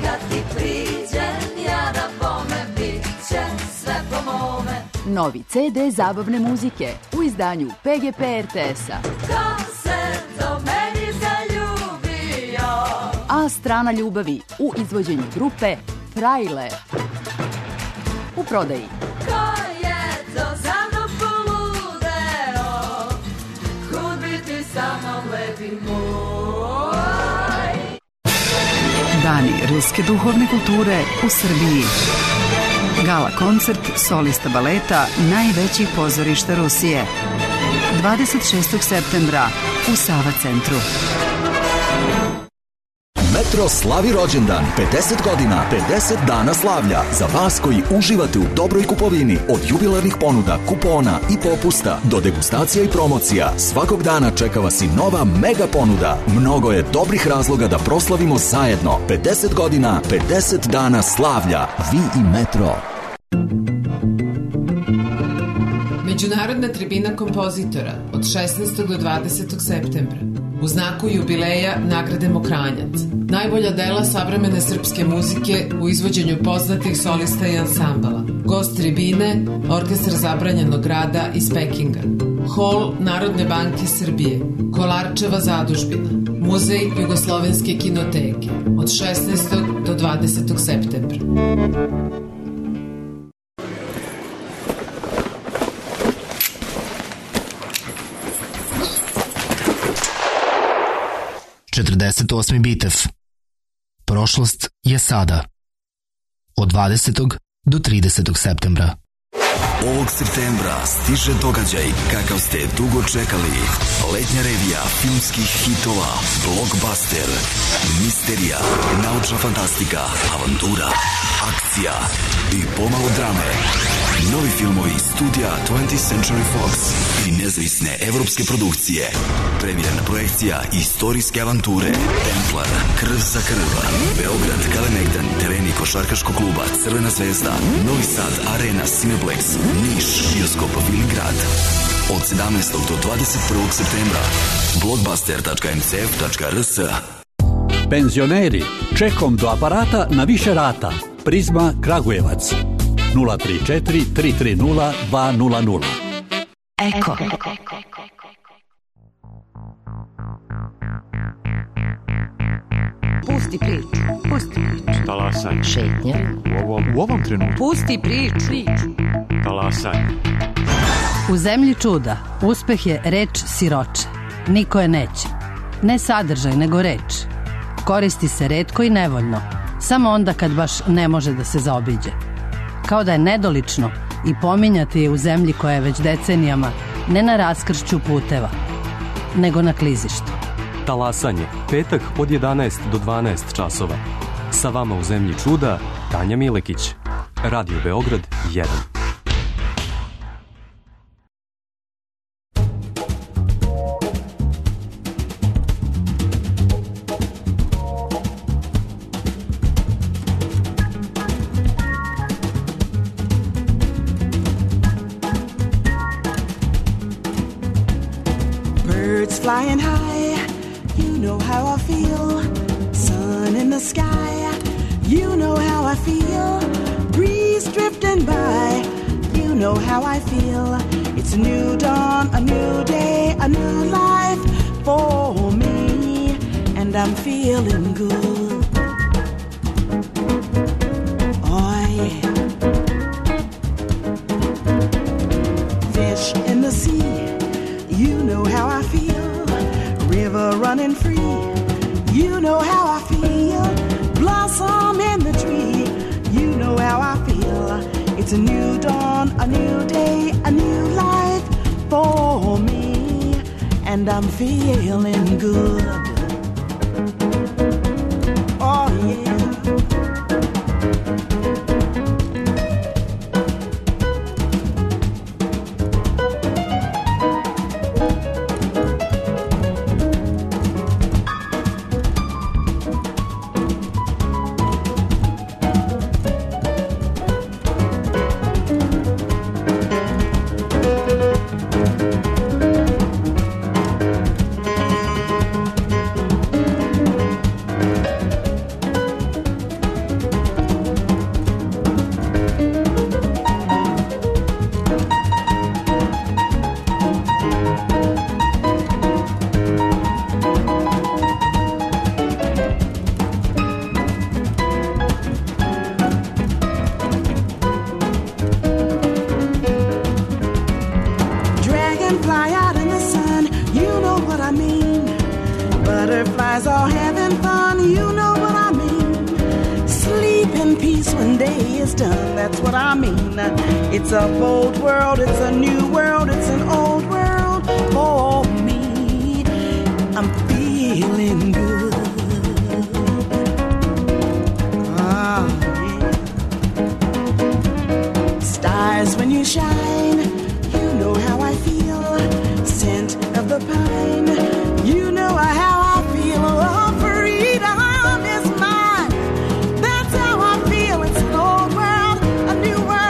kad ti priđem, ja na bome, bit će sve po mome. Novi ce de zabavne muzike u izdanju pe ge pe er te es-a. Ko se do meni zaljubio? A strana ljubavi u izvođenju grupe Frajle. U prodaji. Ko je to za mnom poludeo? Kud bi ti sa mnom, lepi moj? Dani ruske duhovne kulture u Srbiji. Gala koncert solista baleta najvećih pozorišta Rusije. dvadeset šestog septembra u Sava centru. Metro slavi rođendan, pedeset godina, pedeset dana slavlja. Za vas koji uživate u dobroj kupovini, od jubilarnih ponuda, kupona i popusta do degustacija i promocija, svakog dana čeka vas i nova mega ponuda. Mnogo je dobrih razloga da proslavimo zajedno. pedeset godina, pedeset dana slavlja. Vi i Metro. Međunarodna tribina kompozitora od šesnaestog do dvadesetog septembra. U znaku jubileja nagrademo Kranjac. Najbolja dela savremene srpske muzike u izvođenju poznatih solista i ansambala. Gost tribine, Orkestar zabranjenog rada iz Pekinga. Hol Narodne banke Srbije. Kolarčeva zadužbina. Muzej Jugoslovenske kinoteke. Od šesnaestog do dvadesetog septembra. četrdeset osmi bitev. Prošlost je sada. Od dvadesetog do tridesetog septembra. Ovog septembra stiže događaj kakav ste dugo čekali. Letnja revija filmskih hitova, blockbuster, misterija, naučna fantastika, avantura, akcija i pomalo drame. Novi filmovi studija twentieth Century Fox i nezavisne evropske produkcije. Premijerna projekcija istorijske avanture Templar, Krv za krv, Beograd, Kalemegdan, tereni košarkaškog kluba Crvena zvezda, Novi Sad, Arena, Cineplex, Niš, bioskop Viligrad. Od sedamnaestog do dvadeset prvog septembra. blockbuster tačka m c f tačka r s. Penzioneri, čekom do aparata na više rata. Prizma Kragujevac. nula tri četiri tri tri nula dva nula nula. Eko. Pusti priču. Pusti priču. Talasaj. Šetnja. U ovom, u ovom trenutku. Pusti priču. Talasaj. U zemlji čuda uspeh je reč siroče. Niko je neće. Ne sadržaj, nego reč. Koristi se retko i nevoljno. Samo onda kad baš ne može da se zaobiđe. Kao da je nedolično i pominjati je u zemlji koja je već decenijama ne na raskršću puteva, nego na klizištu. Talasanje, petak od jedanaest do dvanaest časova. Sa vama u zemlji čuda, Tanja Milekić. Radio Beograd jedan. Flying high, you know how I feel. Sun in the sky, you know how I feel. Breeze drifting by, you know how I feel. It's a new dawn, a new day, a new life for me, and I'm feeling good. Oh yeah. Fish in the sea, you know how I feel. River running free, you know how I feel. Blossom in the tree, you know how I feel. It's a new dawn, a new day, a new life for me, and I'm feeling good. Oh yeah. It's a bold world, it's a new world, it's an old world for me. I'm feeling good. Ah, yeah. Stars when you shine, you know how I feel. Scent of the pine, you know how I feel. Oh, freedom is mine. That's how I feel. It's an old world, a new world.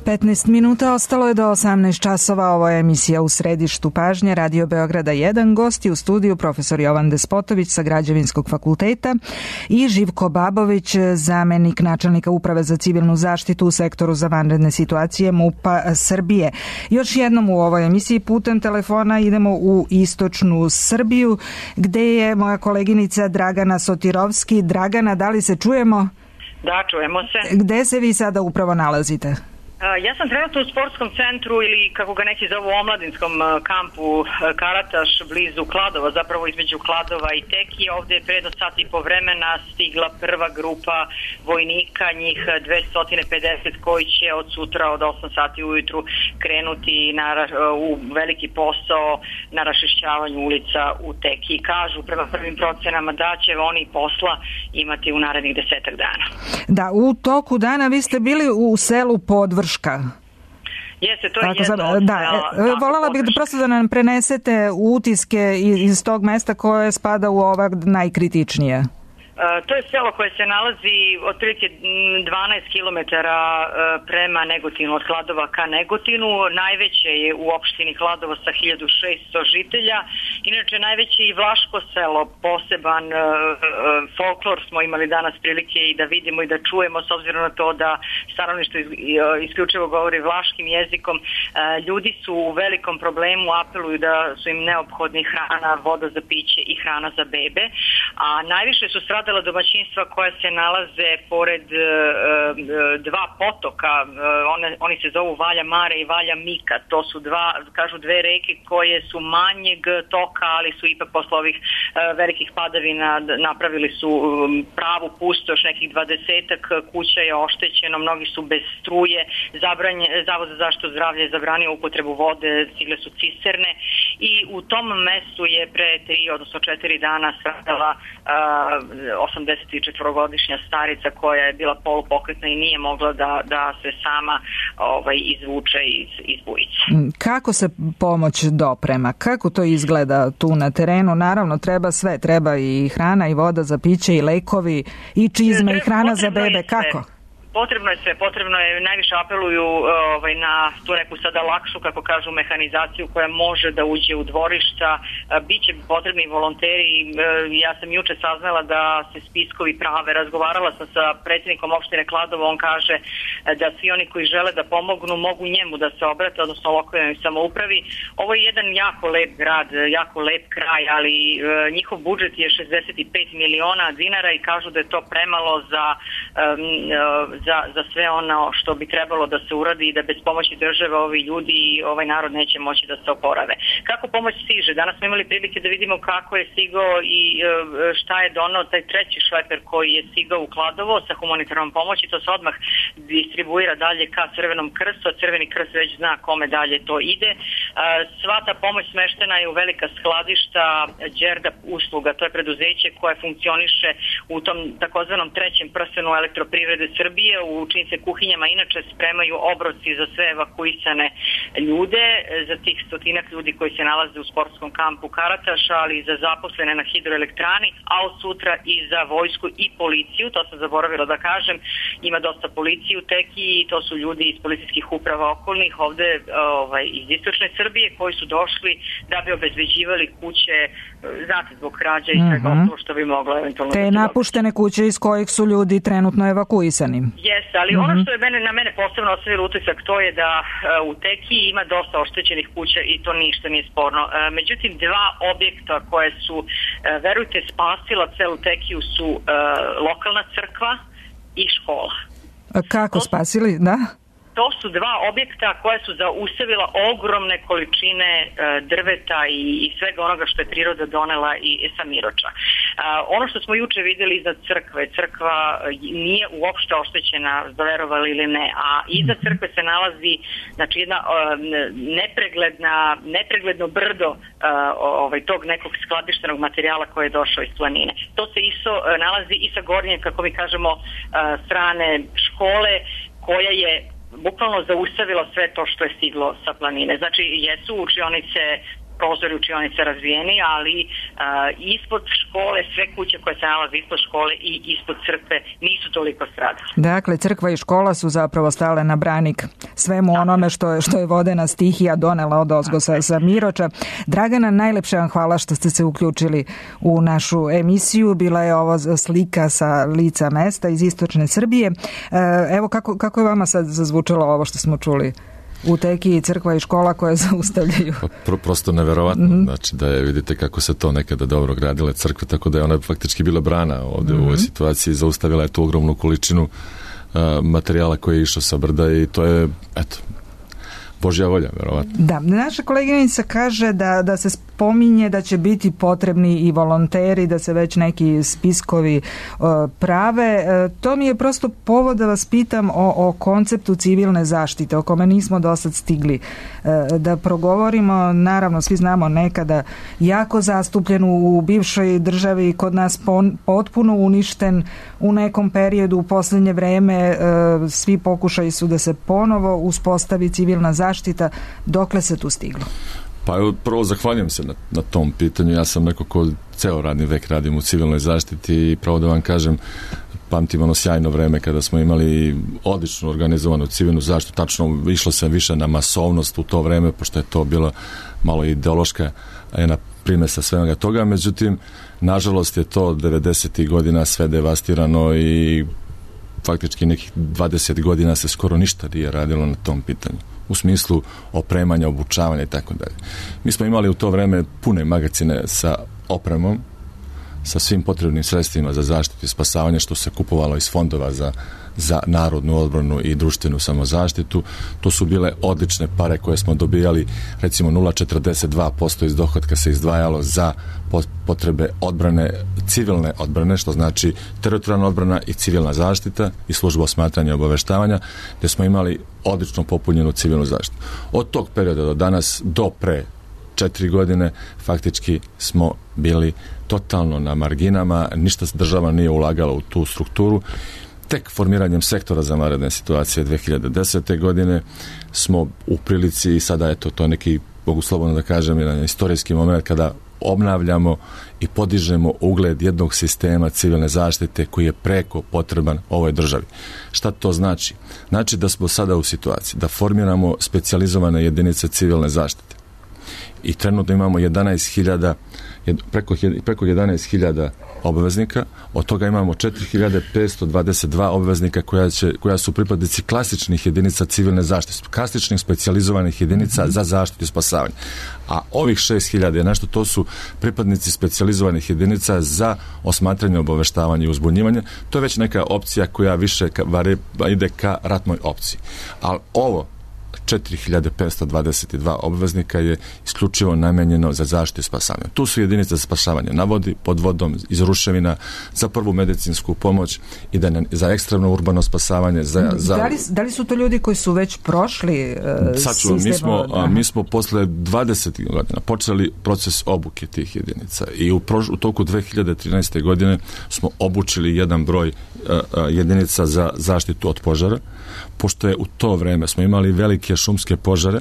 petnaest minuta ostalo je do osamnaest časova. Ovo je emisija U središtu pažnje Radio Beograda jedan. Gosti u studiju profesor Jovan Despotović sa Građevinskog fakulteta i Živko Babović, zamenik načelnika Uprave za civilnu zaštitu u sektoru za vanredne situacije MUP-a Srbije. Još jednom u ovoj emisiji putem telefona idemo u istočnu Srbiju, gde je moja koleginica Dragana Sotirovski. Dragana, da li se čujemo? Da, čujemo se. Gde se vi sada upravo nalazite? Ja sam trenutno u sportskom centru ili kako ga neki zovu omladinskom kampu Karataš blizu Kladova, zapravo između Kladova i Teki. Ovde je pre do sat i po vremena stigla prva grupa vojnika, njih dvesta pedeset koji će od sutra od osam sati ujutru krenuti na, u veliki posao na raščišćavanju ulica u Teki. Kažu prema prvim procenama da će oni posla imati u narednih desetak dana. Da, u toku dana vi ste bili u selu Podvrška. Jeste, to je Tako, jedno. Da, da, e, voljela bih da prosto da nam prenesete utiske iz, iz tog mesta koje spada u ovak najkritičnije. To je selo koje se nalazi otprilike dvanaest kilometara prema Negotinu, od Kladova ka Negotinu. Najveće je u opštini Kladovo sa hiljadu šesto žitelja. Inače, najveće i Vlaško selo, poseban folklor smo imali danas prilike i da vidimo i da čujemo, s obzirom na to da stanovništvo isključivo govori vlaškim jezikom. Ljudi su u velikom problemu, apeluju da su im neophodni hrana, voda za piće i hrana za bebe. A najviše su stradali domaćinstva koja se nalaze pored e, e, dva potoka, e, one, oni se zovu Valja Mare i Valja Mika. To su dva, kažu dve reke koje su manjeg toka, ali su ipak posle ovih e, velikih padavina napravili su e, pravu pustoš, nekih dvadesetak kuća je oštećeno, mnogi su bez struje, zabranje, Zavod za zaštitu zdravlja je zabranio upotrebu vode, stigle su cisterne i u tom mestu je pre tri, odnosno četiri dana stradala e, osamdesetčetvorogodišnja starica koja je bila polupokretna i nije mogla da, da se sama ovaj, izvuče iz, iz bujice. Kako se pomoć doprema? Kako to izgleda tu na terenu? Naravno, treba sve. Treba i hrana i voda za piće i lekovi i čizme i hrana za bebe. Kako? Potrebno je sve, potrebno je, najviše apeluju ovaj, na tu neku sada lakšu, kako kažu, mehanizaciju koja može da uđe u dvorišta. Biće potrebni volonteri. Ja sam juče saznala da se spiskovi prave. Razgovarala sam sa predsjednikom opštine Kladovo, on kaže da svi oni koji žele da pomognu mogu njemu da se obrate, odnosno lokalnoj samoupravi. Ovo je jedan jako lep grad, jako lep kraj, ali njihov budžet je šezdeset pet miliona dinara i kažu da je to premalo za Za, za sve ono što bi trebalo da se uradi i da bez pomoći države ovi ljudi i ovaj narod neće moći da se oporave. Kako pomoć stiže? Danas smo imali prilike da vidimo kako je stigao i šta je donao taj treći šleper koji je stigao u Kladovo sa humanitarnom pomoći. To se odmah distribuira dalje ka Crvenom krstu, a Crveni krst već zna kome dalje to ide. Sva ta pomoć smeštena je u velika skladišta Đerdap usluga. To je preduzeće koje funkcioniše u tom takozvanom trećem prstenu Elektroprivrede Srbije, u čijim se kuhinjama inače spremaju obroci za sve evakuisane ljude, za tih stotinak ljudi koji se nalaze u sportskom kampu Karataša, ali i za zaposlene na hidroelektrani, a od sutra i za vojsku i policiju. To sam zaboravila da kažem, ima dosta policije u Teki i to su ljudi iz policijskih uprava okolnih ovde ovaj, iz istočne Srbije koji su došli da bi obezbeđivali kuće, znate, zbog krađa i svega mm-hmm. ostalo što bi moglo eventualno te napuštene kuće iz kojih su ljudi trenutno evakuisani. Jeste, ali mm-hmm. ono što je mene, na mene posebno ostavilo utisak, to je da uh, u Teki ima dosta oštećenih kuća i to ništa nije sporno. Uh, međutim, dva objekta koje su, uh, verujte, spasila celu Tekiju su uh, lokalna crkva i škola. A kako to, spasili, da? To su dva objekta koje su zaustavila ogromne količine uh, drveta i, i svega onoga što je priroda donela i, i sa Miroča. Uh, ono što smo juče vidjeli iznad crkve, crkva nije uopšte oštećena, verovali ili ne, a iza crkve se nalazi, znači, jedna uh, nepregledna, nepregledno brdo uh, ovaj, tog nekog skladištenog materijala koji je došao iz planine. To se isto uh, nalazi i sa gornje, kako mi kažemo, uh, strane škole, koja je bukvalno zaustavila sve to što je stiglo sa planine. Znači, jesu učionice prozori učionice razvijeni, ali uh, ispod škole, sve kuće koje se nalaze ispod škole i ispod crkve nisu toliko stradale. Dakle, crkva i škola su zapravo stale na branik svemu onome što je, što je vodena stihija donela od ozgo sa, sa Miroča. Dragana, najlepše vam hvala što ste se uključili u našu emisiju. Bila je ovo slika sa lica mesta iz istočne Srbije. Evo kako, kako je vama sad zazvučalo ovo što smo čuli? U Teki crkva i škola koje zaustavljaju. Pro, prosto neverovatno. Mm-hmm. Znači da je, vidite kako se to nekada dobro gradile crkve, tako da je ona faktički bila brana ovdje mm-hmm. u ovoj situaciji. Zaustavila je tu ogromnu količinu uh, materijala koji je išao sa brda i to je, eto, Božja volja, verovatno. Da, naša koleginica kaže da, da se spominje da će biti potrebni i volonteri, da se već neki spiskovi uh, prave. Uh, to mi je prosto povod da vas pitam o, o konceptu civilne zaštite, o kome nismo do sad stigli uh, da progovorimo. Naravno, svi znamo nekada jako zastupljen u bivšoj državi, kod nas pon, potpuno uništen u nekom periodu, u posljednje vreme uh, svi pokušaji su da se ponovo uspostavi civilna zaštita. Dokle se tu stiglo? Pa evo, prvo zahvaljujem se na, na tom pitanju. Ja sam neko ko ceo radni vek radim u civilnoj zaštiti i pravo da vam kažem, pamtim ono sjajno vreme kada smo imali odlično organizovanu civilnu zaštitu. Tačno išlo se više na masovnost u to vreme, pošto je to bila malo ideološka jedna primesa svega toga. Međutim, nažalost je to devedesetih godina sve devastirano i faktički nekih dvadeset godina se skoro ništa nije radilo na tom pitanju. U smislu opremanja, obučavanja i tako dalje. Mi smo imali u to vreme pune magacine sa opremom, sa svim potrebnim sredstvima za zaštitu i spasavanje, što se kupovalo iz fondova za, za narodnu odbranu i društvenu samozaštitu. To su bile odlične pare koje smo dobijali, recimo nula zarez četrdeset dva posto iz dohotka se izdvajalo za potrebe odbrane, civilne odbrane, što znači teritorijalna odbrana i civilna zaštita i služba osmatranja i obaveštavanja, gdje smo imali odlično popunjenu civilnu zaštitu. Od tog perioda do danas, do pre četiri godine, faktički smo bili totalno na marginama, ništa država nije ulagala u tu strukturu. Tek formiranjem sektora za vanredne situacije dve hiljade desete. godine smo u prilici, i sada eto, to je neki, mogu slobodno da kažem, jedan istorijski moment kada obnavljamo i podižemo ugled jednog sistema civilne zaštite koji je preko potreban ovoj državi. Šta to znači? Znači da smo sada u situaciji da formiramo specijalizovane jedinice civilne zaštite. I trenutno imamo jedanaest hiljada, preko, preko jedanaest hiljada obveznika, od toga imamo četiri hiljade petsto dvadeset dva obveznika koja, će, koja su pripadnici klasičnih jedinica civilne zaštite, klasičnih specijalizovanih jedinica mm-hmm. za zaštitu i spasavanje. A ovih šest hiljada je nešto, to su pripadnici specijalizovanih jedinica za osmatranje, obaveštavanje i uzbunjivanje. To je već neka opcija koja više ka, vari, ide ka ratnoj opciji. Ali ovo četiri hiljade petsto dvadeset dva obveznika je isključivo namenjeno za zaštitu i spasavanje. Tu su jedinice za spasavanje na vodi, pod vodom, iz ruševina, za prvu medicinsku pomoć i da ne, za ekstremno urbano spasavanje. Za, za... Da, li, da li su to ljudi koji su već prošli uh, Sad ću, mi smo, a, mi smo posle dvadeset godina počeli proces obuke tih jedinica i u, prož, u toku dve hiljade trinaeste. godine smo obučili jedan broj uh, uh, jedinica za zaštitu od požara, pošto je u to vreme smo imali velike šumske požare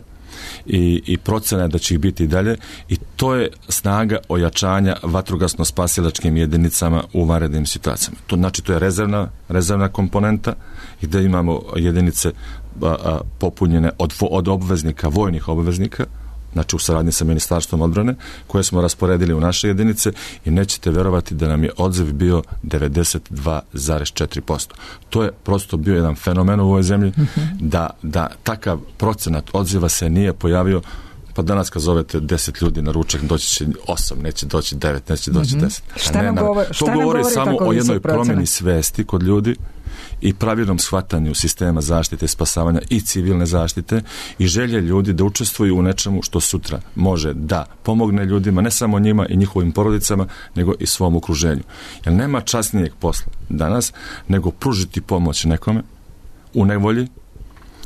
i, i procene da će ih biti i dalje, i to je snaga ojačanja vatrogasno-spasilačkim jedinicama u vanrednim situacijama. To znači to je rezervna, rezervna komponenta gdje imamo jedinice a, a, popunjene od, od obveznika, vojnih obveznika, znači u saradnji sa Ministarstvom odbrane, koje smo rasporedili u naše jedinice, i nećete verovati da nam je odziv bio devedeset dva zarez četiri posto. To je prosto bio jedan fenomen u ovoj zemlji, mm-hmm. da, da takav procenat odziva se nije pojavio. Pa danas kad zovete deset ljudi na ručak, doći će osam, neće doći devet, neće doći mm-hmm. deset. Šta ne, nam govori, šta to nam govori govori samo o jednoj promjeni procenat? svesti kod ljudi i pravilnom shvatanju sistema zaštite, spasavanja i civilne zaštite i želje ljudi da učestvuju u nečemu što sutra može da pomogne ljudima, ne samo njima i njihovim porodicama, nego i svom okruženju. Jer nema časnijeg posla danas nego pružiti pomoć nekome u nevolji,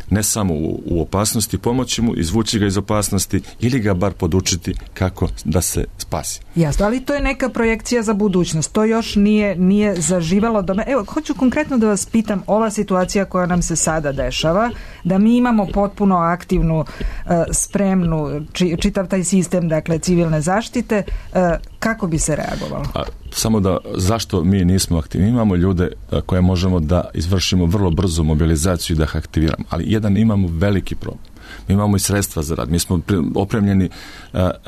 ne samo u, u opasnosti, pomoći mu, izvući ga iz opasnosti ili ga bar podučiti kako da se spasi. Jasno, ali to je neka projekcija za budućnost. To još nije, nije zaživalo. Do me... Evo, hoću konkretno da vas pitam, ova situacija koja nam se sada dešava, da mi imamo potpuno aktivnu, spremnu, čitav taj sistem, dakle, civilne zaštite, kako bi se reagovalo? A, samo da, zašto mi nismo aktivni? Imamo ljude koje možemo da izvršimo vrlo brzo mobilizaciju i da ih aktiviramo, ali jedan imamo veliki problem. Mi imamo i sredstva za rad. Mi smo opremljeni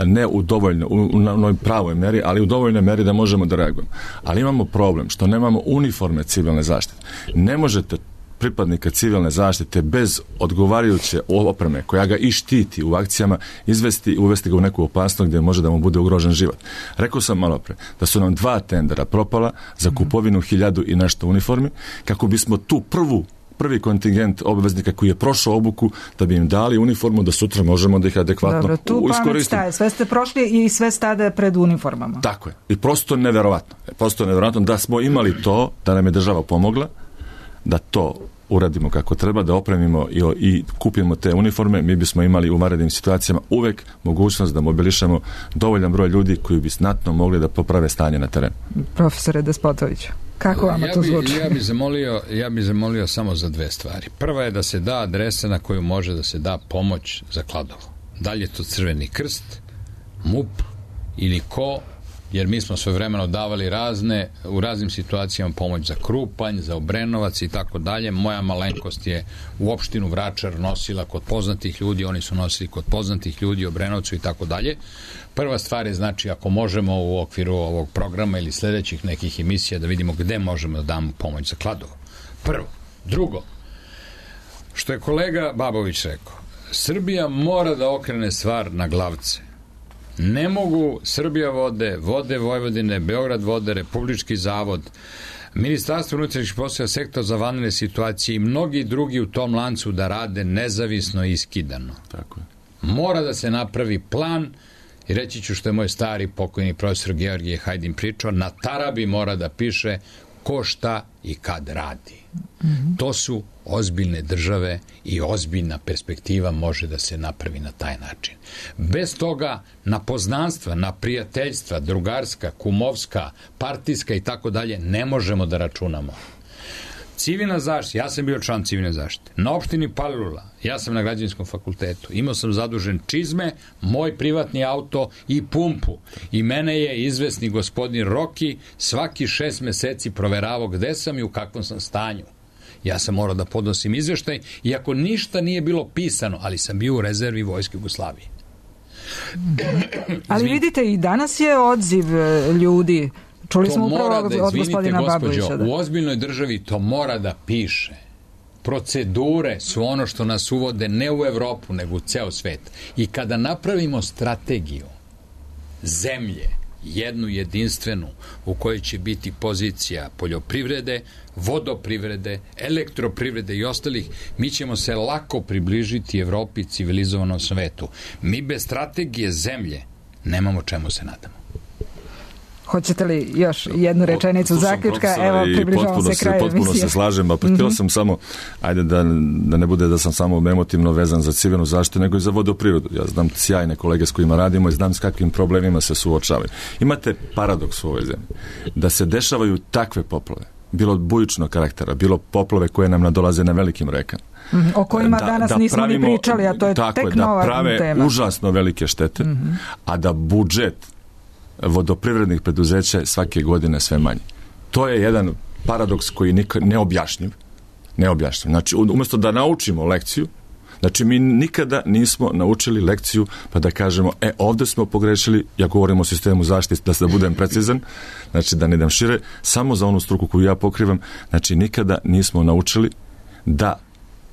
ne u dovoljno, u onoj pravoj meri, ali u dovoljnoj meri da možemo da reagujemo. Ali imamo problem što nemamo uniforme civilne zaštite. Ne možete pripadnika civilne zaštite bez odgovarajuće opreme koja ga i štiti u akcijama izvesti, uvesti ga u neku opasnost gdje može da mu bude ugrožen život. Rekao sam malo pre da su nam dva tendera propala za kupovinu hiljadu i nešto uniformi kako bismo tu prvu prvi kontingent obveznika koji je prošao obuku da bi im dali uniformu da sutra možemo da ih adekvatno Dobro, tu pamet staje. Sve ste prošli i sve stade pred uniformama. Tako je. I prosto neverovatno. Prosto neverovatno da smo imali to, da nam je država pomogla, da to uradimo kako treba, da opremimo i, i kupimo te uniforme, mi bismo imali u vanrednim situacijama uvek mogućnost da mobilišemo dovoljan broj ljudi koji bi znatno mogli da poprave stanje na terenu. Profesore Despotoviću, kako vama ja to bi, zvuči? Ja bih zamolio, ja bi zamolio samo za dve stvari. Prva je da se da adresa na koju može da se da pomoć za Kladovo. Da li je to Crveni krst, M U P ili ko, jer mi smo sve vremeno davali razne, u raznim situacijama pomoć za Krupanj, za Obrenovac i tako dalje. Moja malenkost je u opštinu Vračar nosila kod poznatih ljudi, oni su nosili kod poznatih ljudi u Obrenovcu i tako dalje. Prva stvar je, znači, ako možemo u okviru ovog programa ili sljedećih nekih emisija da vidimo gde možemo da damo pomoć za Kladovo. Prvo. Drugo, što je kolega Babović rekao, Srbija mora da okrene stvar na glavce. Ne mogu Srbija vode, Vode Vojvodine, Beograd vode, Republički zavod, Ministarstvo unutrašnjih poslova, sektor za vanredne situacije i mnogi drugi u tom lancu da rade nezavisno i iskidano. Tako je. Mora da se napravi plan i reći ću što je moj stari pokojni profesor Georgije Hajdin pričao, na tarabi mora da piše ko šta i kad radi. Mm-hmm. To su ozbiljne države i ozbiljna perspektiva može da se napravi na taj način. Bez toga na poznanstva, na prijateljstva, drugarska, kumovska, partijska i tako dalje ne možemo da računamo. Civilna zaštita, ja sam bio član civilne zaštite. Na opštini Palilula, ja sam na građevinskom fakultetu. Imao sam zadužen čizme, moj privatni auto i pumpu. I mene je izvesni gospodin Roki svaki šest meseci proveravao gde sam i u kakvom sam stanju. Ja sam morao da podnosim izveštaj, iako ništa nije bilo pisano, ali sam bio u rezervi Vojske Jugoslavije. Ali vidite, i danas je odziv ljudi. Čuli to smo upravo da, od izvinite, gospodina Babovića. Da. U ozbiljnoj državi to mora da piše. Procedure su ono što nas uvode ne u Evropu, nego u ceo svet. I kada napravimo strategiju zemlje, jednu jedinstvenu, u kojoj će biti pozicija poljoprivrede, vodoprivrede, elektroprivrede i ostalih, mi ćemo se lako približiti Evropi, civilizovanom svetu. Mi bez strategije zemlje nemamo čemu se nadamo. Hoćete li još jednu rečenicu zaključka? Evo, približavamo se kraju emisije. Potpuno se slažem, a pa htio sam samo, ajde da, da ne bude da sam samo emotivno vezan za civilnu zaštitu, nego i za vodoprirodu. Ja znam sjajne kolege s kojima radimo i znam s kakvim problemima se suočavaju. Imate paradoks u ovoj zemlji, da se dešavaju takve poplave, bilo bujičnog karaktera, bilo poplave koje nam nadolaze na velikim rekama. Mm-hmm. O kojima da, danas da nismo pravimo, ni pričali, a to je tako tek je, nova tema. Da prave tema. užasno velike štete, mm-hmm. a da budžet vodoprivrednih preduzeća je svake godine sve manji. To je jedan paradoks koji je neobjašnjiv. Neobjašnjiv. Znači, umjesto da naučimo lekciju, znači mi nikada nismo naučili lekciju pa da kažemo, e, ovdje smo pogrešili, ja govorim o sistemu zaštite, da se da budem precizan, znači da ne idem šire, samo za onu struku koju ja pokrivam, znači nikada nismo naučili da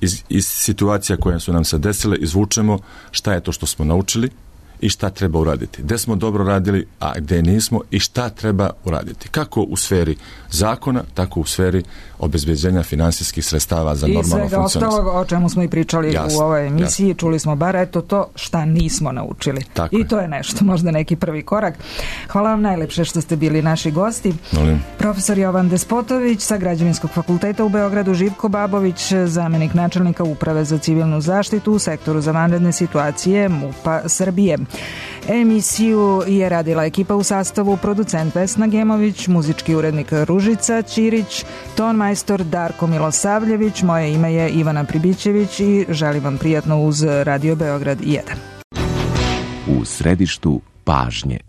iz, iz situacija koje su nam se desile izvučemo šta je to što smo naučili i šta treba uraditi. Gde smo dobro radili, a gde nismo i šta treba uraditi. Kako u sferi zakona, tako u sferi obezbeđenja finansijskih sredstava za normalno funkcionisanje. I svega ostalog o čemu smo i pričali jasne, u ovoj emisiji, jasne. Čuli smo bar eto to šta nismo naučili. Tako I je. to je nešto, možda neki prvi korak. Hvala vam najlepše što ste bili naši gosti. Molim. Profesor Jovan Despotović sa Građevinskog fakulteta u Beogradu, Živko Babović, zamenik načelnika Uprave za civilnu zaštitu u sektoru za vanredne situacije MUP-a Srbije. Emisiju je radila ekipa u sastavu producent Vesna Gemović, muzički urednik Ružica Ćirić, ton majstor Darko Milosavljević, moje ime je Ivana Pribićević i želim vam prijatno uz Radio Beograd jedan. U središtu pažnje.